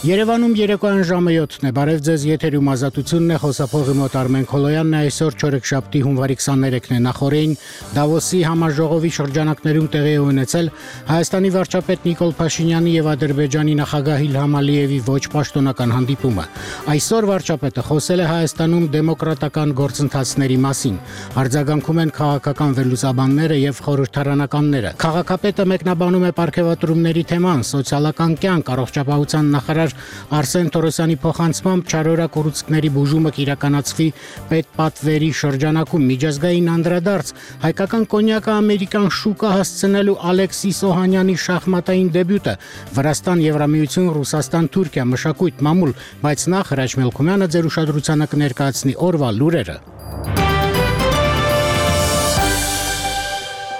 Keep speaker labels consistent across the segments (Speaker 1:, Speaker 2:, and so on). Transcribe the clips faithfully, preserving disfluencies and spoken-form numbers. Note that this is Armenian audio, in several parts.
Speaker 1: Երևանում երեկոյան ժամը յոթն է, բարև ձեզ, եթերում Ազատությունն է, խոսափողի մոտ Արմեն Քոլոյանն է, այսօր չորեքշաբթի հունվարի քսաներեքն է, նախօրեին Դավոսի համաժողովի շրջանակներում տեղի է ունեցել Հայաստանի վարչապետ Նիկոլ Փաշինյանի եւ Ադրբեջանի նախագահ Իլհամ Ալիևի ոչ պաշտոնական հանդիպումը։ Այսօր վարչապետը խոսել է Հայաստանում դեմոկրատական գործընթացների մասին, արձագանքում են քաղաքական վերլուծաբանները եւ խորհրդարանականները։ Քաղաքապետը մեկնաբանում է պարգևատրումների թեման, սոցիալական կյանք, առողջապահության նախարար Արսեն Թորոսյանի փոխանցմամբ չարորակ ուռուցքների բուժումը կիրականացվի պետպատվերի շրջանակում միջազգային անդրադարձ հայկական կոնյակը ամերիկան շուկա հասցնելու Ալեքսիս Օհանյանի շախմատային դեբյուտը Վրաստան, Եվրամիություն, Ռուսաստան, Թուրքիա, մշակույթ, մամուլ, բայց նախ Հրաչ Մելքումյանը ձեր ուշադրությանը կներկայացնի օրվա լուրերը։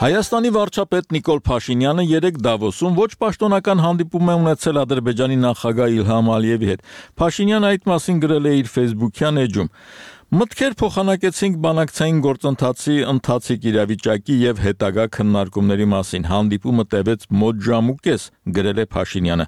Speaker 2: Հայաստանի վարչապետ Նիկոլ Փաշինյանը երեկ Դավոսում ոչ պաշտոնական հանդիպում է ունեցել Ադրբեջանի նախագահ Իլհամ Ալիևի հետ։ Փաշինյանը այդ մասին գրել է իր Facebook-յան էջում. Մտքեր փոխանակեցինք բանակցային գործընթացի ընթացիկ իրավիճակի եւ հետագա քննարկումների մասին։ Հանդիպումը տևեց մոտ ժամ ու կես, գրել է Փաշինյանը։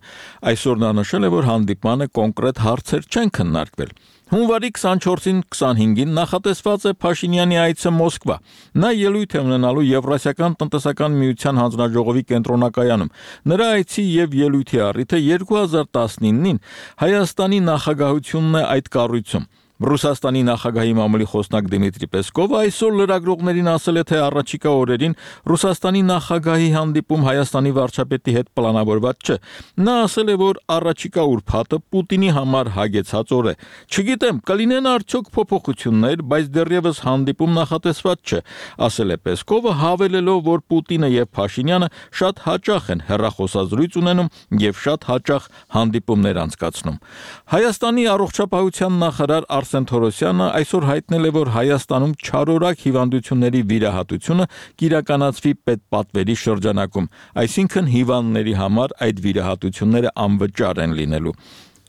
Speaker 2: Այսօր նա նշել է, որ հանդիպմանը կոնկրետ հարցեր չեն քննարկվել։ Հունվարի քսանչորսին քսանհինգին նախատեսված է Փաշինյանի այցը Մոսկվա։ Նա ելույթ է ունենալու Եվրասիական տնտեսական միության հանձնաժողովի կենտրոնակայանում։ Նրա այցի եւ ելույթի առիթը երկու հազար տասնինին Հայաստանի նախագահությունն է այդ կառույցում։ Ռուսաստանի նախագահի մամուլի խոսնակ Դիմիտրի Պեսկովը այսօր լրագրողներին ասել է, թե առաջիկա օրերին Ռուսաստանի նախագահի հանդիպում Հայաստանի վարչապետի հետ պլանավորված չէ։ Նա ասել է, որ առաջիկա ուրբաթը Պուտինի համար հագեցած օր է։ Չգիտեմ, կլինեն արդյոք փոփոխություններ, բայց դեռևս հանդիպում նախատեսված չէ, ասել է Պեսկովը, հավելելով, որ Պուտինը եւ Փաշինյանը շատ հաճախ են հեռախոսազրույց ունենում եւ շատ հաճախ հանդիպումներ անցկացնում։ Հայաստանի առողջապահության նախարար Արսեն Թորոսյանը այսօր հայտնել է, որ Հայաստանում չարորակ հիվանդությունների վիրահատությունը կիրականացվի պետպատվերի շրջանակում, այսինքն հիվանդների համար այդ վիրահատությունները անվճար են լինելու։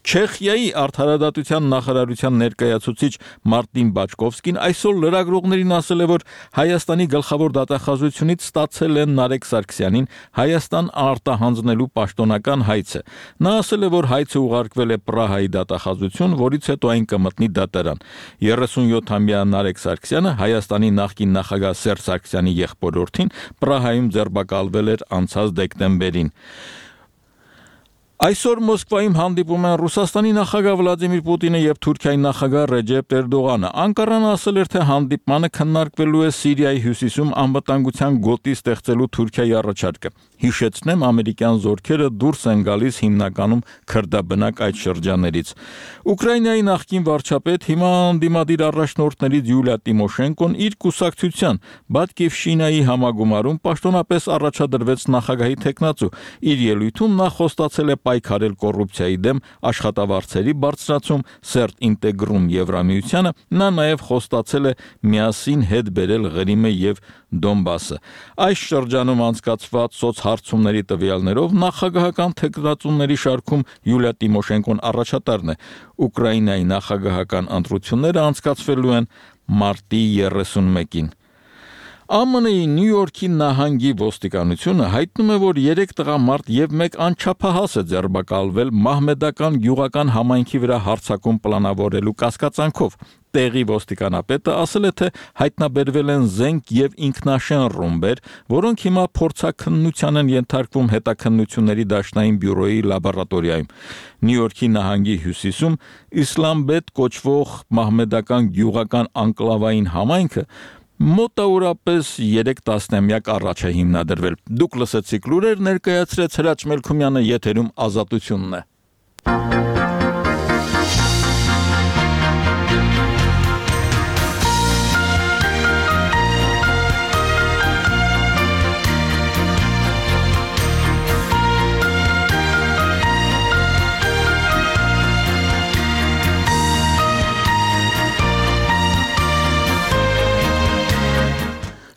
Speaker 2: Չեխիայի արդարադատության նախարարության ներկայացուցիչ Մարտին Բաչկովսկին այսօր լրագրողներին ասել է, որ Հայաստանի գլխավոր դատախազությունից ստացել են Նարեկ Սարգսյանին Հայաստան արտահանձնելու պաշտոնական հայցը։ Նա ասել է, որ հայցը ուղարկվել է Պրահայի դատախազություն, որից հետո այն կմտնի դատարան։ երեսունյոթամյա Նարեկ Սարգսյանը Հայաստանի նախկին նախագահ Սերժ Սարգսյանի եղբորորդին Պրահայում ձերբակալվել էր անցած դեկտեմբերին։ Այսօր Մոսկվայում հանդիպում են Ռուսաստանի նախագահ Վլադիմիր Պուտինը եւ Թուրքիայի նախագահ Ռեջեփ Էրդողանը։ Անկարան ասել էր, թե հանդիպմանը քննարկվելու է Սիրիայի հյուսիսում անվտանգության գոտի ստեղծելու Թուրքիայի առաջարկը։ Հիշեցնեմ, ամերիկյան զորքերը դուրս են գալիս հիմնականում քրդաբնակ այդ շրջաններից։ Ուկրաինայի նախկին վարչապետ, հիմա անդիմադիր առաջնորդներից Յուլիա Տիմոշենկոն իր կուսակցության Բատկիվշինայի համագումարում պաշտոնապես առաջադրվեց նախագահի թեկնածու։ Իր ելույթում նա խոստացել է պայքարել կոռուպցիայի դեմ, աշխատավարձերի բարձրացում, սերտ ինտեգրում Եվրամիությանը, նա նաև խոստացել է միասին հետ բերել Ղրիմը եւ Դոնբասը։ Այս շրջանում անցկացված սոցհարցումների տվյալներով նախագահական թեկնածուների շարքում Յուլիա Տիմոշենկոն առաջատարն է։ Ուկրաինայի նախագահական ընտրությունները անցկացվելու են մարտի երեսունմեկին։ ԱՄՆ-ի Նյու Յորքի նահանգի ոստիկանությունը հայտնում է, որ երեք տղամարդ եւ մեկ անչափահաս է ձերբակալվել մահմեդական գյուղական համայնքի վրա հարձակում պլանավորելու կասկածանքով։ Տեղի ոստիկանապետը ասել է, թե հայտնաբերվել են զենք եւ ինքնաշեն ռումբեր, որոնք հիմա փորձաքննության են ենթարկվում հետաքննությունների դաշնային բյուրոյի լաբորատորիայում։ Նյու Յորքի նահանգի հյուսիսում Իսլամբեդ կոչվող մահմեդական գյուղական անկլավային համայնքը մոտավորապես երեք տասնամյակ առաջ է հիմնադրվել։ Դուք լսեցիք լուրեր, ներկայացրեց Հրաչ Մելքումյանը, եթերում Ազատությունն է։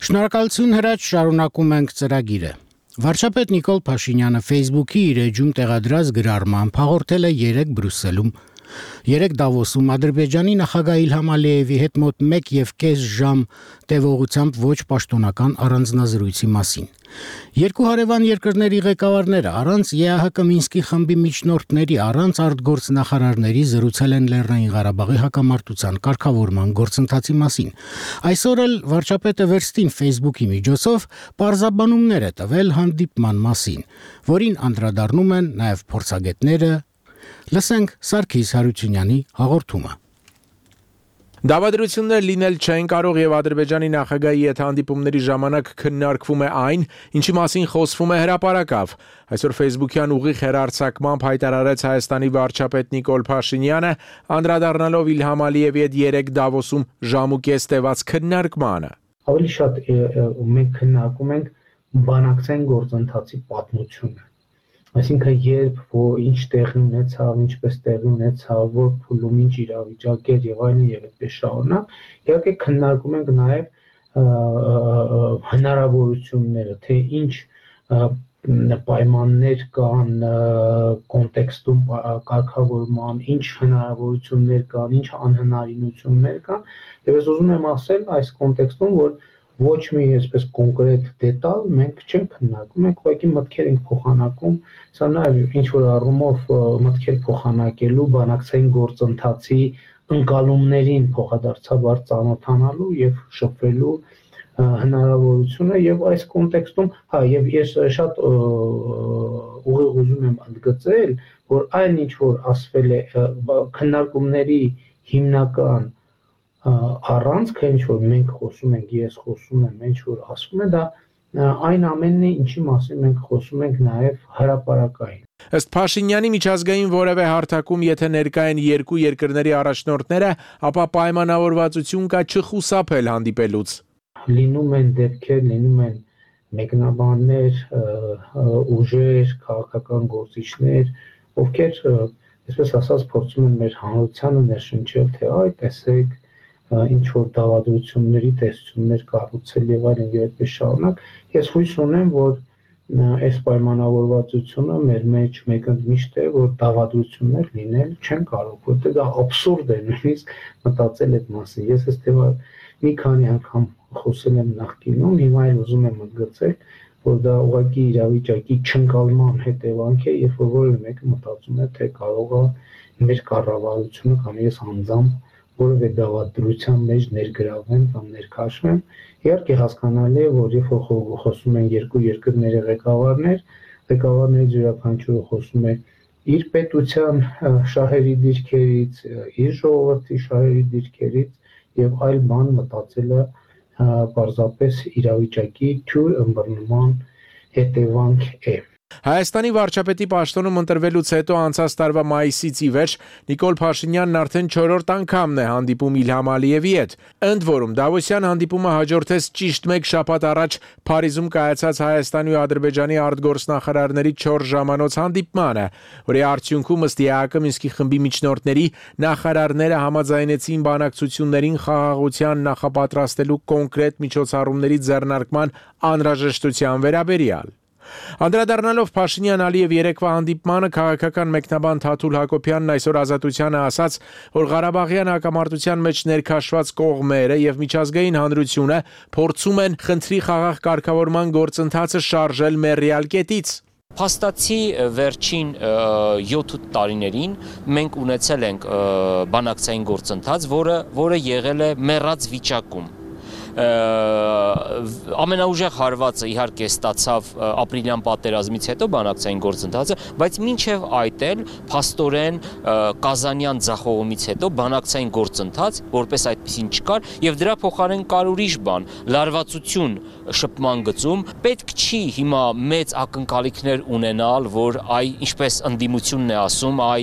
Speaker 1: Շնորհակալություն Հրաչ, շարունակում ենք ծրագիրը։ Վարչապետ Նիկոլ Փաշինյանը Facebook-ի իր էջում տեղադրած գրառմամբ հաղորդել է երեկ Բրյուսելում Երեք Դավոսում Ադրբեջանի նախագահ Իլհամ Ալիևի հետ մոտ մեկ եւ կես ժամ տևողությամբ ոչ պաշտոնական առանձնազրույցի մասին։ Երկու հարևան երկրների ղեկավարները առանց ԵԱՀԿ Մինսկի խմբի միջնորդների, առանց արտգործնախարարների զրուցել են Լեռնային Ղարաբաղի հակամարտության կարգավորման գործընթացի մասին։ Այսօր էլ վարչապետը վերստին Facebook-ի միջոցով պարզաբանումներ է տվել հանդիպման մասին, որին անդրադառնում են նաև փորձագետները։ Լսենք Սարգիս Հարությունյանի հաղորդումը։
Speaker 3: Դավադրություններ լինել չեն կարող եւ Ադրբեջանի նախագահի հետ հանդիպումների ժամանակ քննարկվում է այն, ինչի մասին խոսվում է հրապարակավ։ Այսօր Facebook-յան ուղիղ հեռարձակմամբ հայտարարեց Հայաստանի վարչապետ Նիկոլ Փաշինյանը, անդրադառնալով Իլհամ Ալիևի հետ երեք Դավոսում ժամ ու կես տևած քննարկմանը։
Speaker 4: Ավելի շատ մենք քննարկում ենք բանակցային գործընթացի պատմությունը։ Այսինքն երբ որ ինչ տեղի ունեցավ, ինչպես տեղի ունեցավ, որ փուլում ինչ իրավիճակ էր եւ այլն եւ այդպես շարունակ, իհարկե քննարկում ենք նաեւ հնարավորությունները, թե ինչ պայմաններ կան կոնտեքստում կարգավորման, ինչ հնարավորություններ կան, ինչ անհնարինություններ կան, եւ ես ուզում եմ ասել այս կոնտեքստում, որ ոչ մի այսպես կոնկրետ դետալ մենք չենք քննարկում, մենք ուղղակի մտքեր ենք փոխանակում, սա նաև ինչ որ առումով մտքեր փոխանակելու բանակցային գործընթացի ընկալումներին փոխադարձաբար ծանոթանալու եւ շփվելու հնարավորությունը եւ այս կոնտեքստում, հա, եւ ես շատ ուղիղ ուզում եմ ընդգծել, որ այն ինչ որ ասվել է քննարկումների հիմնական առանցքը, ինչ որ մենք խոսում ենք, ես խոսում եմ, ինչ որ ասվում է, դա այն ամենն է, ինչի մասին մենք խոսում ենք նաև հրապարակային։
Speaker 3: Ըստ Փաշինյանի միջազգային որևէ հարթակում, եթե ներկա են երկու երկրների առաջնորդները, ապա պայմանավորվածություն կա չխուսափել հանդիպելուց։
Speaker 4: Լինում են դեպքեր, լինում են մեկնաբաններ, ուժեր, քաղաքական գործիչներ, ովքեր, այսպես ասած, փորձում են մեր հանրությանը ներշնչել, թե այ տեսեք ինչ որ դավադրությունների տեսություններ կառուցել եւ այլն եւ այդպես շարունակ, ես հույս ունեմ, որ այս պայմանավորվածությունը մեր մեջ մեկընդմիշտ է, որ դավադրություններ լինել չեն կարող, որտեղ դա աբսուրդ է նույնիսկ մտածել այդ մասին։ Ես այս թեմա մի քանի անգամ խոսել եմ նախկինում, հիմա էլ ուզում եմ ընդգծել, որ դա ուղղակի իրավիճակի չընկալման հետևանք է, երբ որ որևէ մեկը մտածում է, թե կարող է մեր կառավարությունը կամ ես անձամբ որևէ դավադրության մեջ ներգրավվեն կամ ներքաշվեն։ Իհարկե հասկանալի է, որ երբ որ խոսում են երկու երկրների ղեկավարներ, ղեկավարներից յուրաքանչյուրը խոսում է իր պետության շահերի դիրքերից, իր ժողովրդի շահերի դիրքերից եւ այլ բան մտածելը պարզապես իրավիճակի թյուր ըմբռնման հետևանք է։
Speaker 3: Հայաստանի վարչապետի պաշտոնում ընտրվելուց հետո անցած տարվա մայիսից ի վեր Նիկոլ Փաշինյանն արդեն չորրորդ անգամն է հանդիպում Իլհամ Ալիևի հետ։ Ընդ որում Դավոսյան հանդիպումը հաջորդեց ճիշտ մեկ շաբաթ առաջ Փարիզում կայացած Հայաստանի ու Ադրբեջանի արտգործնախարարների չորս ժամանոց հանդիպմանը, որի արդյունքում ըստ ԵԱՀԿ Մինսկի խմբի միջնորդների նախարարները համաձայնեցին բանակցություններին խաղաղության նախապատրաստելու կոնկրետ միջոցառումների ձեռնարկման անհրաժեշտության վերաբերյալ։ Անդրադառնալով Փաշինյան-Ալիև երեկվա հանդիպմանը քաղաքական մեկնաբան Թաթուլ Հակոբյանն այսօր Ազատությանը ասաց, որ Ղարաբաղյան հակամարտության մեջ ներքաշված կողմերը եւ միջազգային հանրությունը փորձում են խնդրի խաղաղ կարգավորման գործընթացը շարժել մեռյալ կետից։
Speaker 5: Փաստացի վերջին յոթ տարիներին մենք ունեցել ենք բանակցային գործընթաց, որը որը եղել է մեռած վիճակում։ Ամենաուժեղ հարվածը իհարկե ստացավ ապրիլյան պատերազմից հետո բանակցային գործընթացը, բայց մինչև այդ էլ փաստորեն Կազանյան ձախողումից հետո բանակցային գործընթաց որպես այդպեսին չկար եւ դրա փոխարեն կար ուրիշ բան՝ լարվածություն շփման գծում։ Պետք չի հիմա մեծ ակնկալիքներ ունենալ, որ այ ինչպես ընդդիմությունն է ասում, այ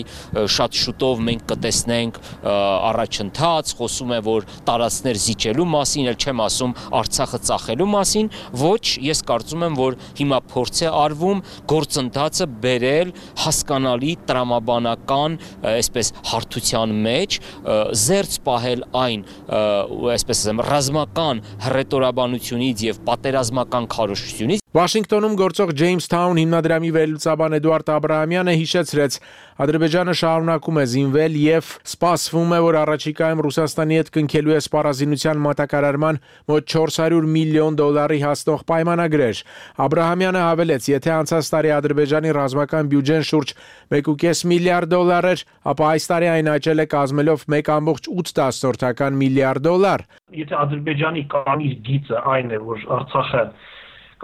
Speaker 5: շատ շուտով մենք կտեսնենք առաջընթաց, խոսում է, որ տարածքներ զիջելու մասին, էլ չեմ ասում Արցախը ծախելու մասին, ոչ, ես կարծում եմ, որ հիմա փորձ է արվում գործընթացը բերել հասկանալի տրամաբանական, այսպես հարթության մեջ, զերծ պահել այն, այսպես ասեմ, ռազմական հռետորաբանությունից եւ պատերազմական քարոզչությունից։
Speaker 3: Վաշինգտոնում գործող Jamestown հիմնադրամի վերլուծաբան Էդուարդ Աբրահամյանը հիշեցրեց, Ադրբեջանը շարունակում է զինվել եւ սպասվում է, որ առաջիկայում Ռուսաստանի հետ կնքելու է սպառազինության մատակարարման մոտ չորս հարյուր միլիոն դոլարի հասնող պայմանագրեր։ Աբրահամյանը հավելեց, եթե անցած տարի Ադրբեջանի ռազմական բյուջեն շուրջ մեկ կόμμα պենս միլիարդ դոլար էր, ապա այս տարի այն աճել է կազմելով մեկ կόμma ութ միլիարդ դոլար։
Speaker 6: Եթե Ադրբեջանի կարմիր գիծը այն է, որ Արցախը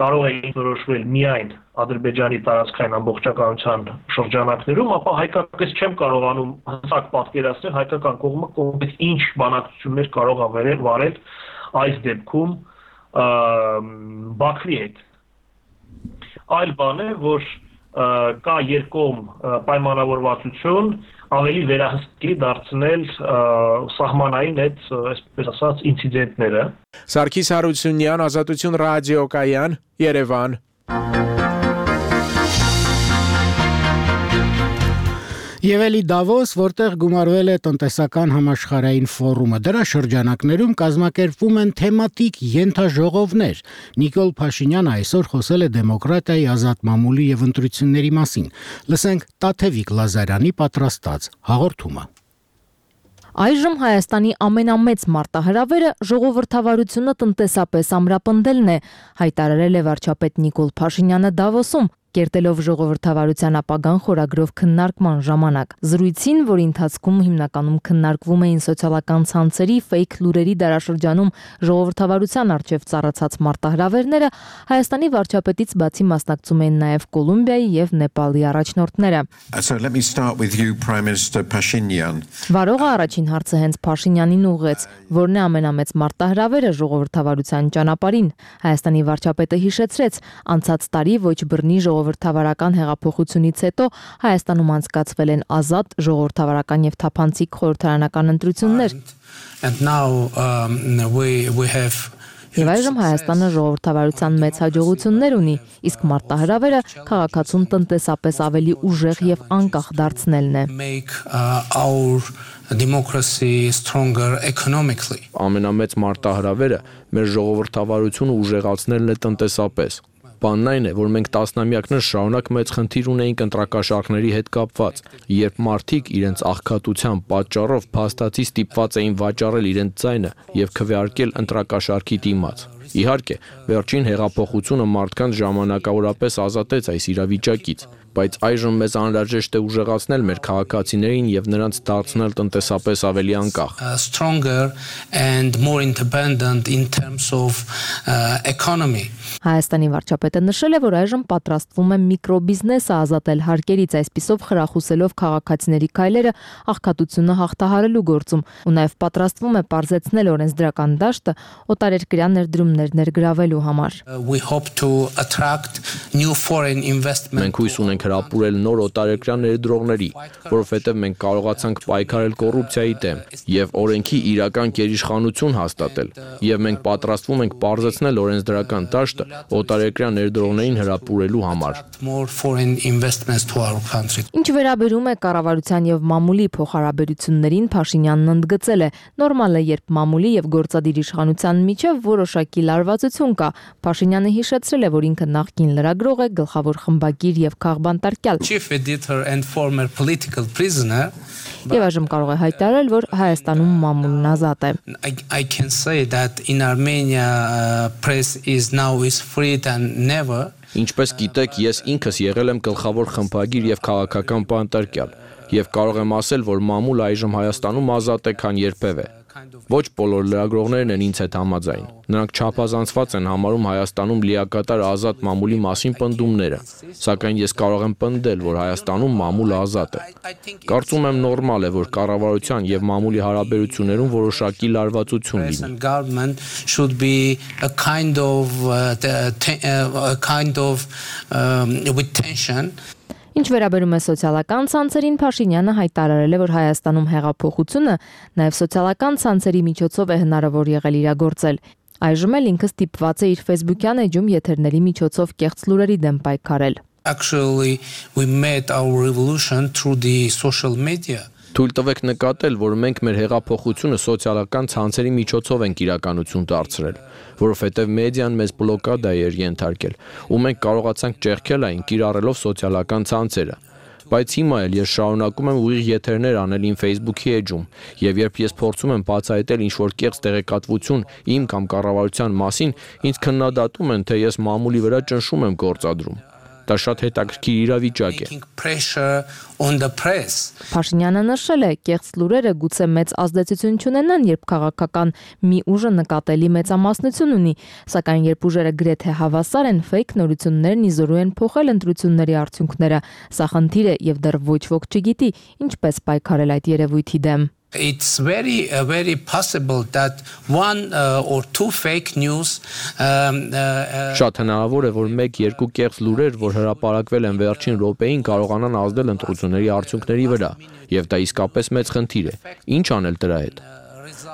Speaker 6: կարող է ինքնորոշվել միայն Ադրբեջանի տարածքային ամբողջականության շրջանակներում, ապա հայկականից չեմ կարողանում հստակ պատկերացնել հայկական կողմը կոնկրետ ինչ բանակցություններ կարող է վարել այս դեպքում Բաքվի հետ։ Այլ բան է, որ կա երկկողմ պայմանավորվածություն ավելի վերահսկի դարձնել սահմանային այդ, այսպես ասած, ինցիդենտները։
Speaker 3: Սարգիս Հարությունյան, Ազատություն ռադիոկայան, Երևան։
Speaker 1: Եվ էլի Դավոս, որտեղ գումարվել է տնտեսական համաշխարհային ֆորումը, դրա շրջանակներում կազմակերպվում են թեմատիկ ենթաժողովներ։ Նիկոլ Փաշինյանը այսօր խոսել է դեմոկրատիայի, ազատ մամուլի եւ ընտրությունների մասին։ Լսենք Տաթևիկ Լազարյանի պատրաստած հաղորդումը։
Speaker 7: Այժմ Հայաստանի ամենամեծ մարտահրավերը ժողովրդավարությունը տնտեսապես ամրապնդելն է, հայտարարել է վարչապետ Նիկոլ Փաշինյանը Դավոսում, կերտելով ժողովրդավարության ապագան խորագրով քննարկման ժամանակ։ Զրույցին, որի ընթացքում հիմնականում քննարկվում էին սոցիալական ցանցերի, ֆեյք լուրերի դարաշրջանում ժողովրդավարության առջև ծառացած մարտահրավերները, Հայաստանի վարչապետից բացի մասնակցում էին նաև Կոլումբիայի եւ Նեպալի առաջնորդները։
Speaker 8: So let me start with you, Prime Minister Pashinyan.
Speaker 7: Վարողը առաջին հարցը հենց Փաշինյանին ուղղեց, որն է ամենամեծ մարտահրավերը ժողովրդավարության ճանապարհին։ Հայաստանի վարչապետը հիշեցրեց, անցած տարի ոչ բռնի ժողովրդավարական հեղափոխությունից հետո Հայաստանում անցկացվել են ազատ, ժողովրդավարական եւ թափանցիկ խորհրդարանական ընտրություններ։
Speaker 9: And now um, we we have
Speaker 7: Եվ այժմ Հայաստանը ժողովրդավարության մեծ հաջողություններ ունի, իսկ մարտահրավերը քաղաքացուն տնտեսապես ավելի ուժեղ եւ անկախ դարձնելն է։
Speaker 9: make uh, our democracy stronger economically.
Speaker 3: Ամենամեծ մարտահրավերը մեր ժողովրդավարությունը ուժեղացնելն է տնտեսապես։ Բանն այն է, որ մենք տասնամյակներ շարունակ մեծ խնդիր ունեինք ընտրակաշառքների հետ կապված, երբ մարդիկ իրենց աղքատության պատճառով փաստացի ստիպված էին վաճառել իրենց ձայնը եւ քվեարկել ընտրակաշառքի դիմաց։ Իհարկե, վերջին հեղափոխությունը մարդկանց ժամանակավորապես ազատեց այս իրավիճակից, բայց այժմ մեզ անհրաժեշտ է ուժեղացնել մեր քաղաքացիներին եւ նրանց դարձնել տնտեսապես ավելի անկախ։
Speaker 9: Uh, stronger and more independent in terms of uh, economy.
Speaker 7: Հայաստանի վարչապետը նշել է, որ այժմ պատրաստվում է միկրոբիզնեսը ազատել հարկերից, այսպիսով խրախուսելով քաղաքացիների քայլերը աղքատությունը հաղթահարելու գործում, ու նաև պատրաստվում է պարզեցնել օրենսդրական դաշտը օտարերկրյա ներդրումներ ներգրավելու համար։
Speaker 9: We hope to attract new foreign investment.
Speaker 3: Մենք հույս ունենք հրապուրել նոր օտարերկրյա ներդրողների, որովհետև մենք կարողացանք պայքարել կոռուպցիայի դեմ եւ օրենքի իրական գերիշխանություն հաստատել, եւ մենք պատրաստվում ենք պարզեցնել օրենսդրական դաշտը օտարերկրյա ներդրողներին հրապուրելու համար։
Speaker 9: More foreign investments to our country.
Speaker 7: Ինչ վերաբերում է կառավարության եւ մամուլի փոխհարաբերություններին, Փաշինյանն ընդգծել է, նորմալ է, երբ մամուլի եւ գործադիր իշխանության միջև որոշակի լարվածություն կա։ Փաշինյանը հիշեցրել է, որ ինքը նախկին լրագրող է, գլխավոր խմբագիր եւ քաղբանտարկյալ։
Speaker 9: Chief editor and former political prisoner.
Speaker 7: Եվ այժմ կարող է հայտարարել, որ Հայաստանում մամուլն ազատ է։
Speaker 9: I, I can say that in Armenia uh, press is now is free than never.
Speaker 3: Ինչպես գիտեք, ես ինքս եղել եմ գլխավոր խմբագիր եւ քաղաքական բանտարկյալ, եւ կարող եմ ասել, որ մամուլը այժմ Հայաստանում ազատ է, քան երբևէ։ Ոչ բոլոր լրագրողներն են ինձ հետ համաձայն։ Նրանք չափազանցված են համարում Հայաստանում լիակատար ազատ մամուլի մասին պնդումները, սակայն ես կարող եմ պնդել, որ Հայաստանում մամուլը ազատ է։ Կարծում եմ նորմալ է, որ կառավարության եւ մամուլի հարաբերություններում որոշակի լարվածություն լինի։
Speaker 9: Government should be a kind of uh, a kind of um, with tension.
Speaker 7: Ինչ վերաբերում է սոցիալական ցանցերին, Փաշինյանը հայտարարել է, որ Հայաստանում հեղափոխությունը նաև սոցիալական ցանցերի միջոցով է հնարավոր եղել իրագործել։ Այժմ էլ ինքը ստիպված է իր Facebook-յան էջում եթերների միջոցով կեղծ լուրերի դեմ պայքարել։
Speaker 9: Actually, we made our revolution through the social media.
Speaker 3: Թույլ տվեք նկատել, որ մենք մեր հեղափոխությունը սոցիալական ցանցերի միջոցով ենք իրականություն դարձրել, որովհետև մեդիան մեզ բլոկադա էր ենթարկել, ու մենք կարողացանք ճեղքել այն կիրառելով սոցիալական ցանցերը։ Բայց հիմա էլ ես շարունակում եմ ուղիղ եթերներ անել իմ Facebook-ի էջում, եւ երբ ես փորձում եմ բացահայտել ինչ-որ կեղծ տեղեկատվություն իմ կամ կառավարության մասին, ինձ քննադատում են, թե ես մամուլի վրա ճնշում եմ գործադրում։ Դա շատ հետաքրքիր իրավիճակ է։
Speaker 7: Փաշինյանը նշել է, կեղծ լուրերը գուցե մեծ ազդեցություն չունենան, երբ քաղաքական մի ուժը նկատելի մեծամասնություն ունի, սակայն երբ ուժերը գրեթե հավասար են, ֆեյք նորություններն իզորու են փոխել ընտրությունների արդյունքները։ Սա խնդիր է եւ դեռ ոչ ոք չգիտի ինչպես պայքարել այդ երևույթի դեմ։
Speaker 9: It's very uh, very possible that one uh, or two fake news um, uh,
Speaker 3: Շատ հնարավոր է, որ մեկ-երկու կեղծ լուրեր, որ հրապարակվել են վերջին րոպեին, կարողանան ազդել ընտրությունների արդյունքների վրա, եւ դա իսկապես մեծ խնդիր է։ Ինչ անել դրա հետ։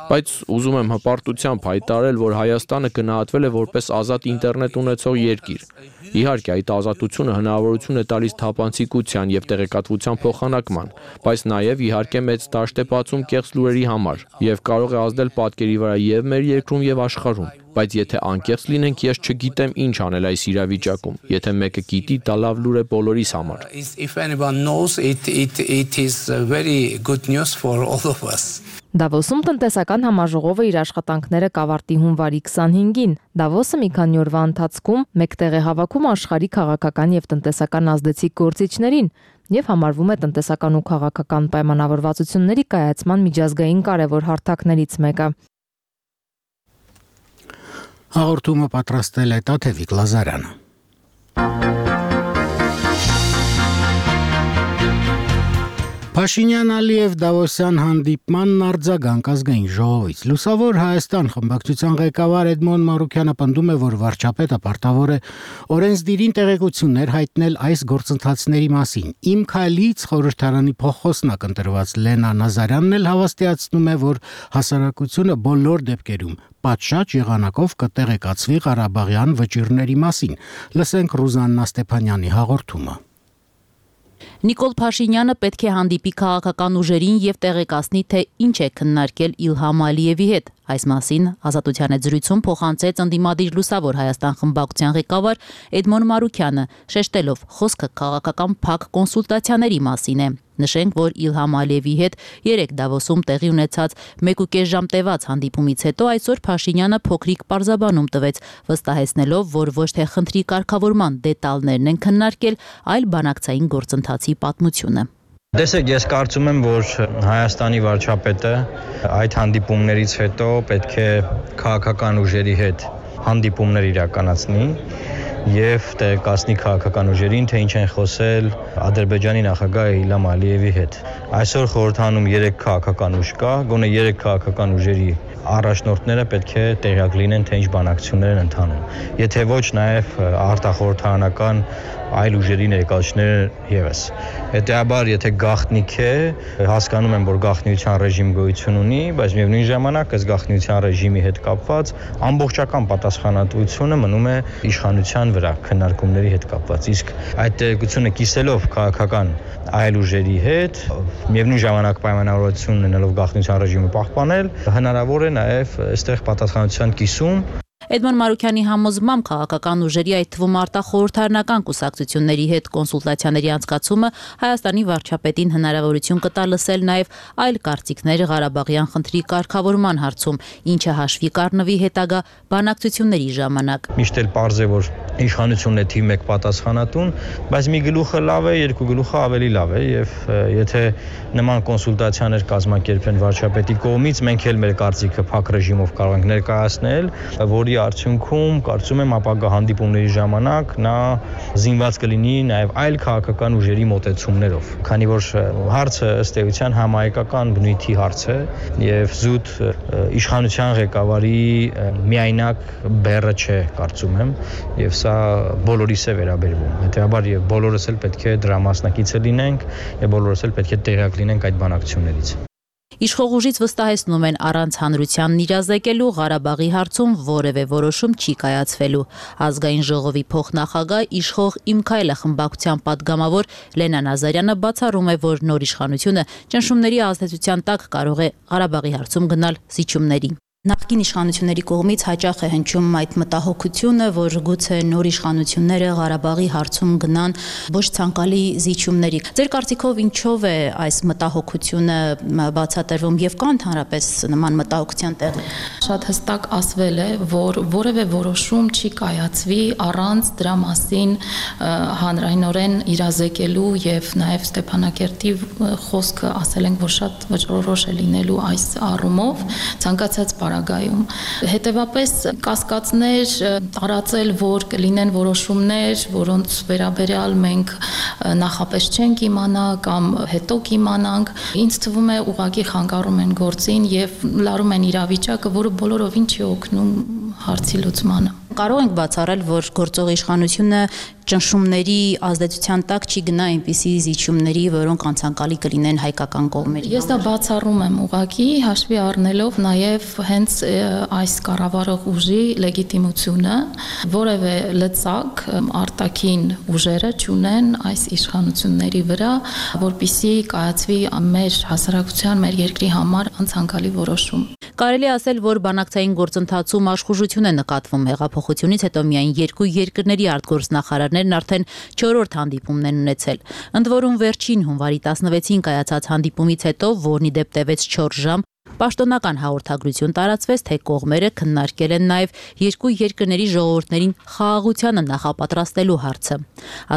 Speaker 3: Բայց ուզում եմ հպարտությամբ հայտարարել, որ Հայաստանը գնահատվել է որպես ազատ ինտերնետ ունեցող երկիր։ Իհարկե, այդ ազատությունը հնարավորություն է տալիս թափանցիկության եւ տեղեկատվության փոխանակման, բայց նաեւ իհարկե մեծ դաշտ է բացում կեղծ լուրերի համար եւ կարող է ազդել պատկերի վրա եւ մեր երկրում եւ աշխարհում։ Բայց եթե անկեղծ լինենք, ես չգիտեմ ինչ անել այս իրավիճակում։ Եթե մեկը գիտի, դա լավ լուր է բոլորիս համար։
Speaker 9: If anyone knows it, it, it is very good news for all of us.
Speaker 7: Դավոսում տնտեսական համաժողովը իր աշխատանքները կավարտի հունվարի քսանհինգին։ Դավոսը մի քանի օրվա ընթացքում մեկտեղ է հավաքում աշխարհի քաղաքական եւ տնտեսական ազդեցիկ գործիչներին եւ համարվում է տնտեսական ու քաղաքական պայմանավորվածությունների կայացման միջազգային կարևոր հարթակներից մեկը։
Speaker 1: Հաղորդումը պատրաստել է Տաթևիկ Լազարյանը։ Փաշինյան-Ալիև Դավոսյան հանդիպմանն արձագանք ազգային ժողովից։ Լուսավոր Հայաստան խմբակցության ղեկավար Էդմոն Մարուկյանը պնդում է, որ վարչապետը պարտավոր է օրենսդիրին տեղեկություններ հայտնել այս գործընթացների մասին։ Իմ քայլից խորհրդարանի փոխոսնակ ընտրված Լենա Նազարյանն էլ հավաստիացնում է, որ հասարակությունը բոլոր դեպքերում պատշաճ եղանակով կտեղեկացվի Ղարաբաղյան վճիռների մասին։ Լսենք Ռուզաննա Ստեփանյանի հաղորդումը։
Speaker 10: Նիկոլ Փաշինյանը պետք է հանդիպի քաղաքական ուժերին եւ տեղեկացնի, թե ինչ է քննարկել Իլհամ Ալիևի հետ։ Այս մասին Ազատության հետ զրույցում փոխանցեց ընդդիմադիր Լուսավոր Հայաստան խմբակցության ղեկավար Էդմոն Մարուկյանը, շեշտելով խոսքը քաղաքական փակ կոնսուլտացիաների մասին է։ Նշենք, որ Իլհամ Ալիևի հետ երեք Դավոսում տեղի ունեցած մեկուկես ժամ տևած հանդիպումից հետո այսօր Փաշինյանը փոքրիկ պարզաբանում տվեց, վստահեցնելով, որ ոչ թե խնդրի կարգավորման դետալներն են քննարկել, այլ բանակցային գործընթացի պատմությունը։
Speaker 11: Տեսեք, ես կարծում եմ, որ Հայաստանի վարչապետը այդ հանդիպումներից հետո պետք է քաղաքական ուժերի հետ հանդիպումներ իրականացնի եւ տեղեկացնի քաղաքական ուժերին, թե ինչ են խոսել Ադրբեջանի նախագահ Իլհամ Ալիևի հետ։ Այսօր խորհրդանում երեք քաղաքական ուժ կա, գոնե երեք քաղաքական ուժերի առաջնորդները պետք է տեղյակ լինեն, թե ինչ բանակցություններ են ընթանում։ Եթե ոչ, նաև արտախորհրդարանական այլ ուժերի ներկայացուցիչներ եւս։ Հետեւաբար, եթե գաղտնիք է, հասկանում եմ, որ գաղտնիության ռեժիմ գոյություն ունի, բայց միևնույն ժամանակ այս գաղտնիության ռեժիմի հետ կապված ամբողջական պատասխանատվությունը մնում է իշխանության վրա քննարկումների հետ կապված։ Իսկ այդ տեղեկությունը կիսելով քաղաքական այլ ուժերի հետ, միևնույն ժամանակ պայմանավորվածություն ունենալով գաղտնիության ռեժիմը պահպանել, հնարավոր է նաև այստեղ պատասխանատվության կիսում։
Speaker 10: Էդմոն Մարուկյանի համոզմամբ քաղաքական ուժերի, այդ թվում արտախորհրդարանական կուսակցությունների հետ կոնսուլտացիաների անցկացումը Հայաստանի վարչապետին հնարավորություն կտա լսել նաև այլ կարծիքներ Ղարաբաղյան խնդրի կարգավորման հարցում, ինչը հաշվի կառնվի հետագա բանակցությունների ժամանակ։
Speaker 11: Միշտ էլ պարզ է, որ իշխանությունն է թիվ մեկ պատասխանատուն, բայց մի գլուխը լավ է, երկու գլուխը ավելի լավ է, եւ եթե նման կոնսուլտացիաներ կազմակերպեն վարչապետի կողմից, մենք էլ մեր կարծիքը փակ ռեժիմով կարող ենք ներկայացնել, որի արդյունքում կարծում եմ ապագա հանդիպումների ժամանակ նա զինված կլինի նաև այլ քաղաքական ուժերի մոտեցումներով, քանի որ հարցը ըստ էության համահայկական բնույթի հարց է եւ զուտ իշխանության ղեկավարի միայնակ բեռը չէ, կարծում եմ, եւ սա բոլորիս է վերաբերվում։ Հետեւաբար եւ բոլորս էլ պետք է դրա մասնակիցը լինենք եւ բոլորս էլ պետք է տեղյակ լինենք այդ բանակցություններից։
Speaker 10: Իշխող ուժից վստահեցնում են առանց հանրությանն իրազեկելու Ղարաբաղի հարցում որևէ որոշում չի կայացվելու։ Ազգային ժողովի փոխնախագահ իշխող Իմ քայլը խմբակցության պատգամավոր Լենա Նազարյանը բացառում է, որ նոր իշխանությունը ճնշումների ազդեցության տակ կարող է Ղարաբաղի հարցում գնալ զիջումների։ Նախկին իշխանությունների կողմից հաճախ է հնչում այդ մտահոգությունը, որ գուցե նոր իշխանությունները Ղարաբաղի հարցում գնան ոչ ցանկալի զիջումների։ Ձեր կարծիքով ինչով է այս մտահոգությունը բացատրվում եւ կա ընդհանրապես նման մտահոգության տեղ։
Speaker 12: Շատ հստակ ասվել է, որ որևէ որոշում չի կայացվի առանց դրա մասին հանրայնորեն իրազեկելու եւ նաեւ Ստեփանակերտի խոսքը ասել ենք, որ շատ վճռորոշ է լինելու այս առումով ցանկացած Պարագայում։ Հետևապես կասկածներ տարածել, որ կլինեն որոշումներ, որոնց վերաբերյալ մենք նախապես չենք իմանա կամ հետո կիմանանք, ինձ թվում է ուղղակի խանգարում են գործին եւ լարում են իրավիճակը, որը բոլորովին չի օգնում հարցի լուծմանը։
Speaker 10: Կարող ենք բացառել, որ գործող իշխանությունը ճնշումների ազդեցության տակ չի գնա այնպիսի զիջումների, որոնք անցանկալի կլինեն հայկական կողմերի։
Speaker 12: Ես դա բացառում եմ ուղղակի հաշվի առնելով նաև հենց այս կառավարող ուժի լեգիտիմությունը, որևէ լծակ արտաքին ուժերը չունեն այս իշխանությունների վրա, որպիսի կայացվի մեր հասարակության, մեր երկրի համար անցանկալի որոշում։
Speaker 10: Կարելի ասել, որ բանակցային գործընթացում աշխուժություն է նկատվում հեղափոխությունից հետո միայն երկու երկրների արտգործնախարարներն արդեն չորրորդ հանդիպումն են ունեցել։ Ընդ որում վերջին հունվարի տասնվեցին կայացած հանդիպումից հետո, որն ի դեպ տևեց չորս ժամ, պաշտոնական հաղորդագրություն տարածվեց, թե կողմերը քննարկել են նաև երկու երկրների ժողովուրդներին խաղաղությանը նախապատրաստելու հարցը։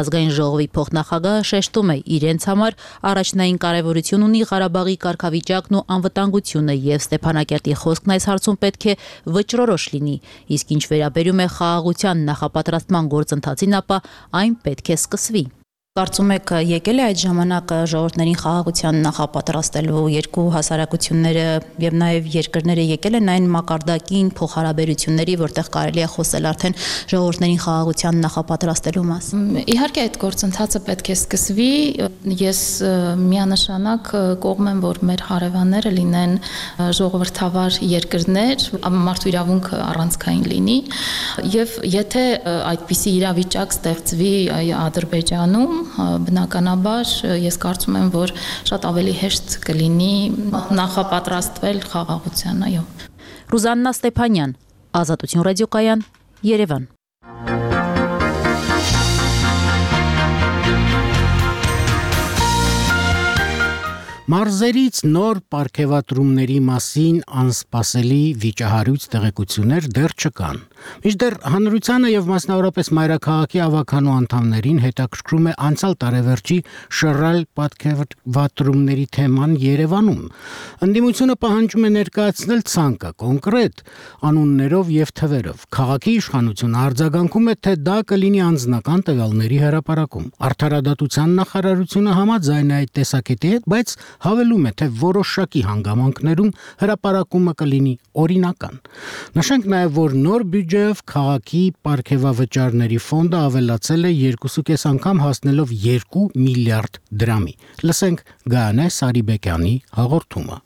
Speaker 10: Ազգային ժողովի փոխնախագահը շեշտում է, իրենց համար առաջնային կարևորություն ունի Ղարաբաղի կարգավիճակն ու անվտանգությունը եւ Ստեփանակերտի խոսքն այս հարցում պետք է վճռորոշ լինի, իսկ ինչ վերաբերում է խաղաղության նախապատրաստման գործընթացին, ապա այն պետք է սկսվի։ Կարծում եք եկել է այդ ժամանակը ժողովուրդներին խաղաղության նախապատրաստելու երկու հասարակությունները եւ նաեւ երկրները եկել են այն մակարդակին փոխհարաբերությունների, որտեղ կարելի է խոսել արդեն ժողովուրդներին խաղաղության նախապատրաստելու մասին։
Speaker 12: Իհարկե այդ գործընթացը պետք է սկսվի։ Ես միանշանակ կողմ եմ, որ մեր հարևանները լինեն ժողովրդավար երկրներ, մարդու իրավունքը առանցքային լինի եւ եթե այդպիսի իրավիճակ ստեղծվի Ադրբեջանում, բնականաբար ես կարծում եմ, որ շատ ավելի հեշտ կլինի նախապատրաստվել խաղաղության, այո։
Speaker 10: Ռուզաննա Ստեփանյան, Ազատություն ռադիոկայան, Երևան։
Speaker 1: Մարզերից նոր պարգևատրումների մասին անսպասելի վիճահարույց տեղեկություններ դեռ չկան։ Մինչդեռ հանրությանը եւ մասնավորապես մայրաքաղաքի ավականու անդամներին հետաքրքրում է անցյալ տարեվերջի շռայլ պարգևատրումների թեման Երևանում։ Ընդդիմությունը պահանջում է ներկայացնել ցանկը կոնկրետ անուններով եւ թվերով։ Քաղաքի իշխանությունը արձագանքում է, թե դա կլինի անձնական տվյալների հրապարակում։ Արդարադատության նախարարությունը համաձայն է այդ տեսակետի հետ, բայց հավելում է, թե որոշակի հանգամանքներում հրապարակումը կլինի օրինական։ Նշենք նաև, որ նոր բյուջեով քաղաքի պարգևավճարների ֆոնդը ավելացել է երկու կես անգամ հասնելով երկու միլիարդ դրամի։ Լսենք Գայանե Սարիբեկյանի հաղորդումը։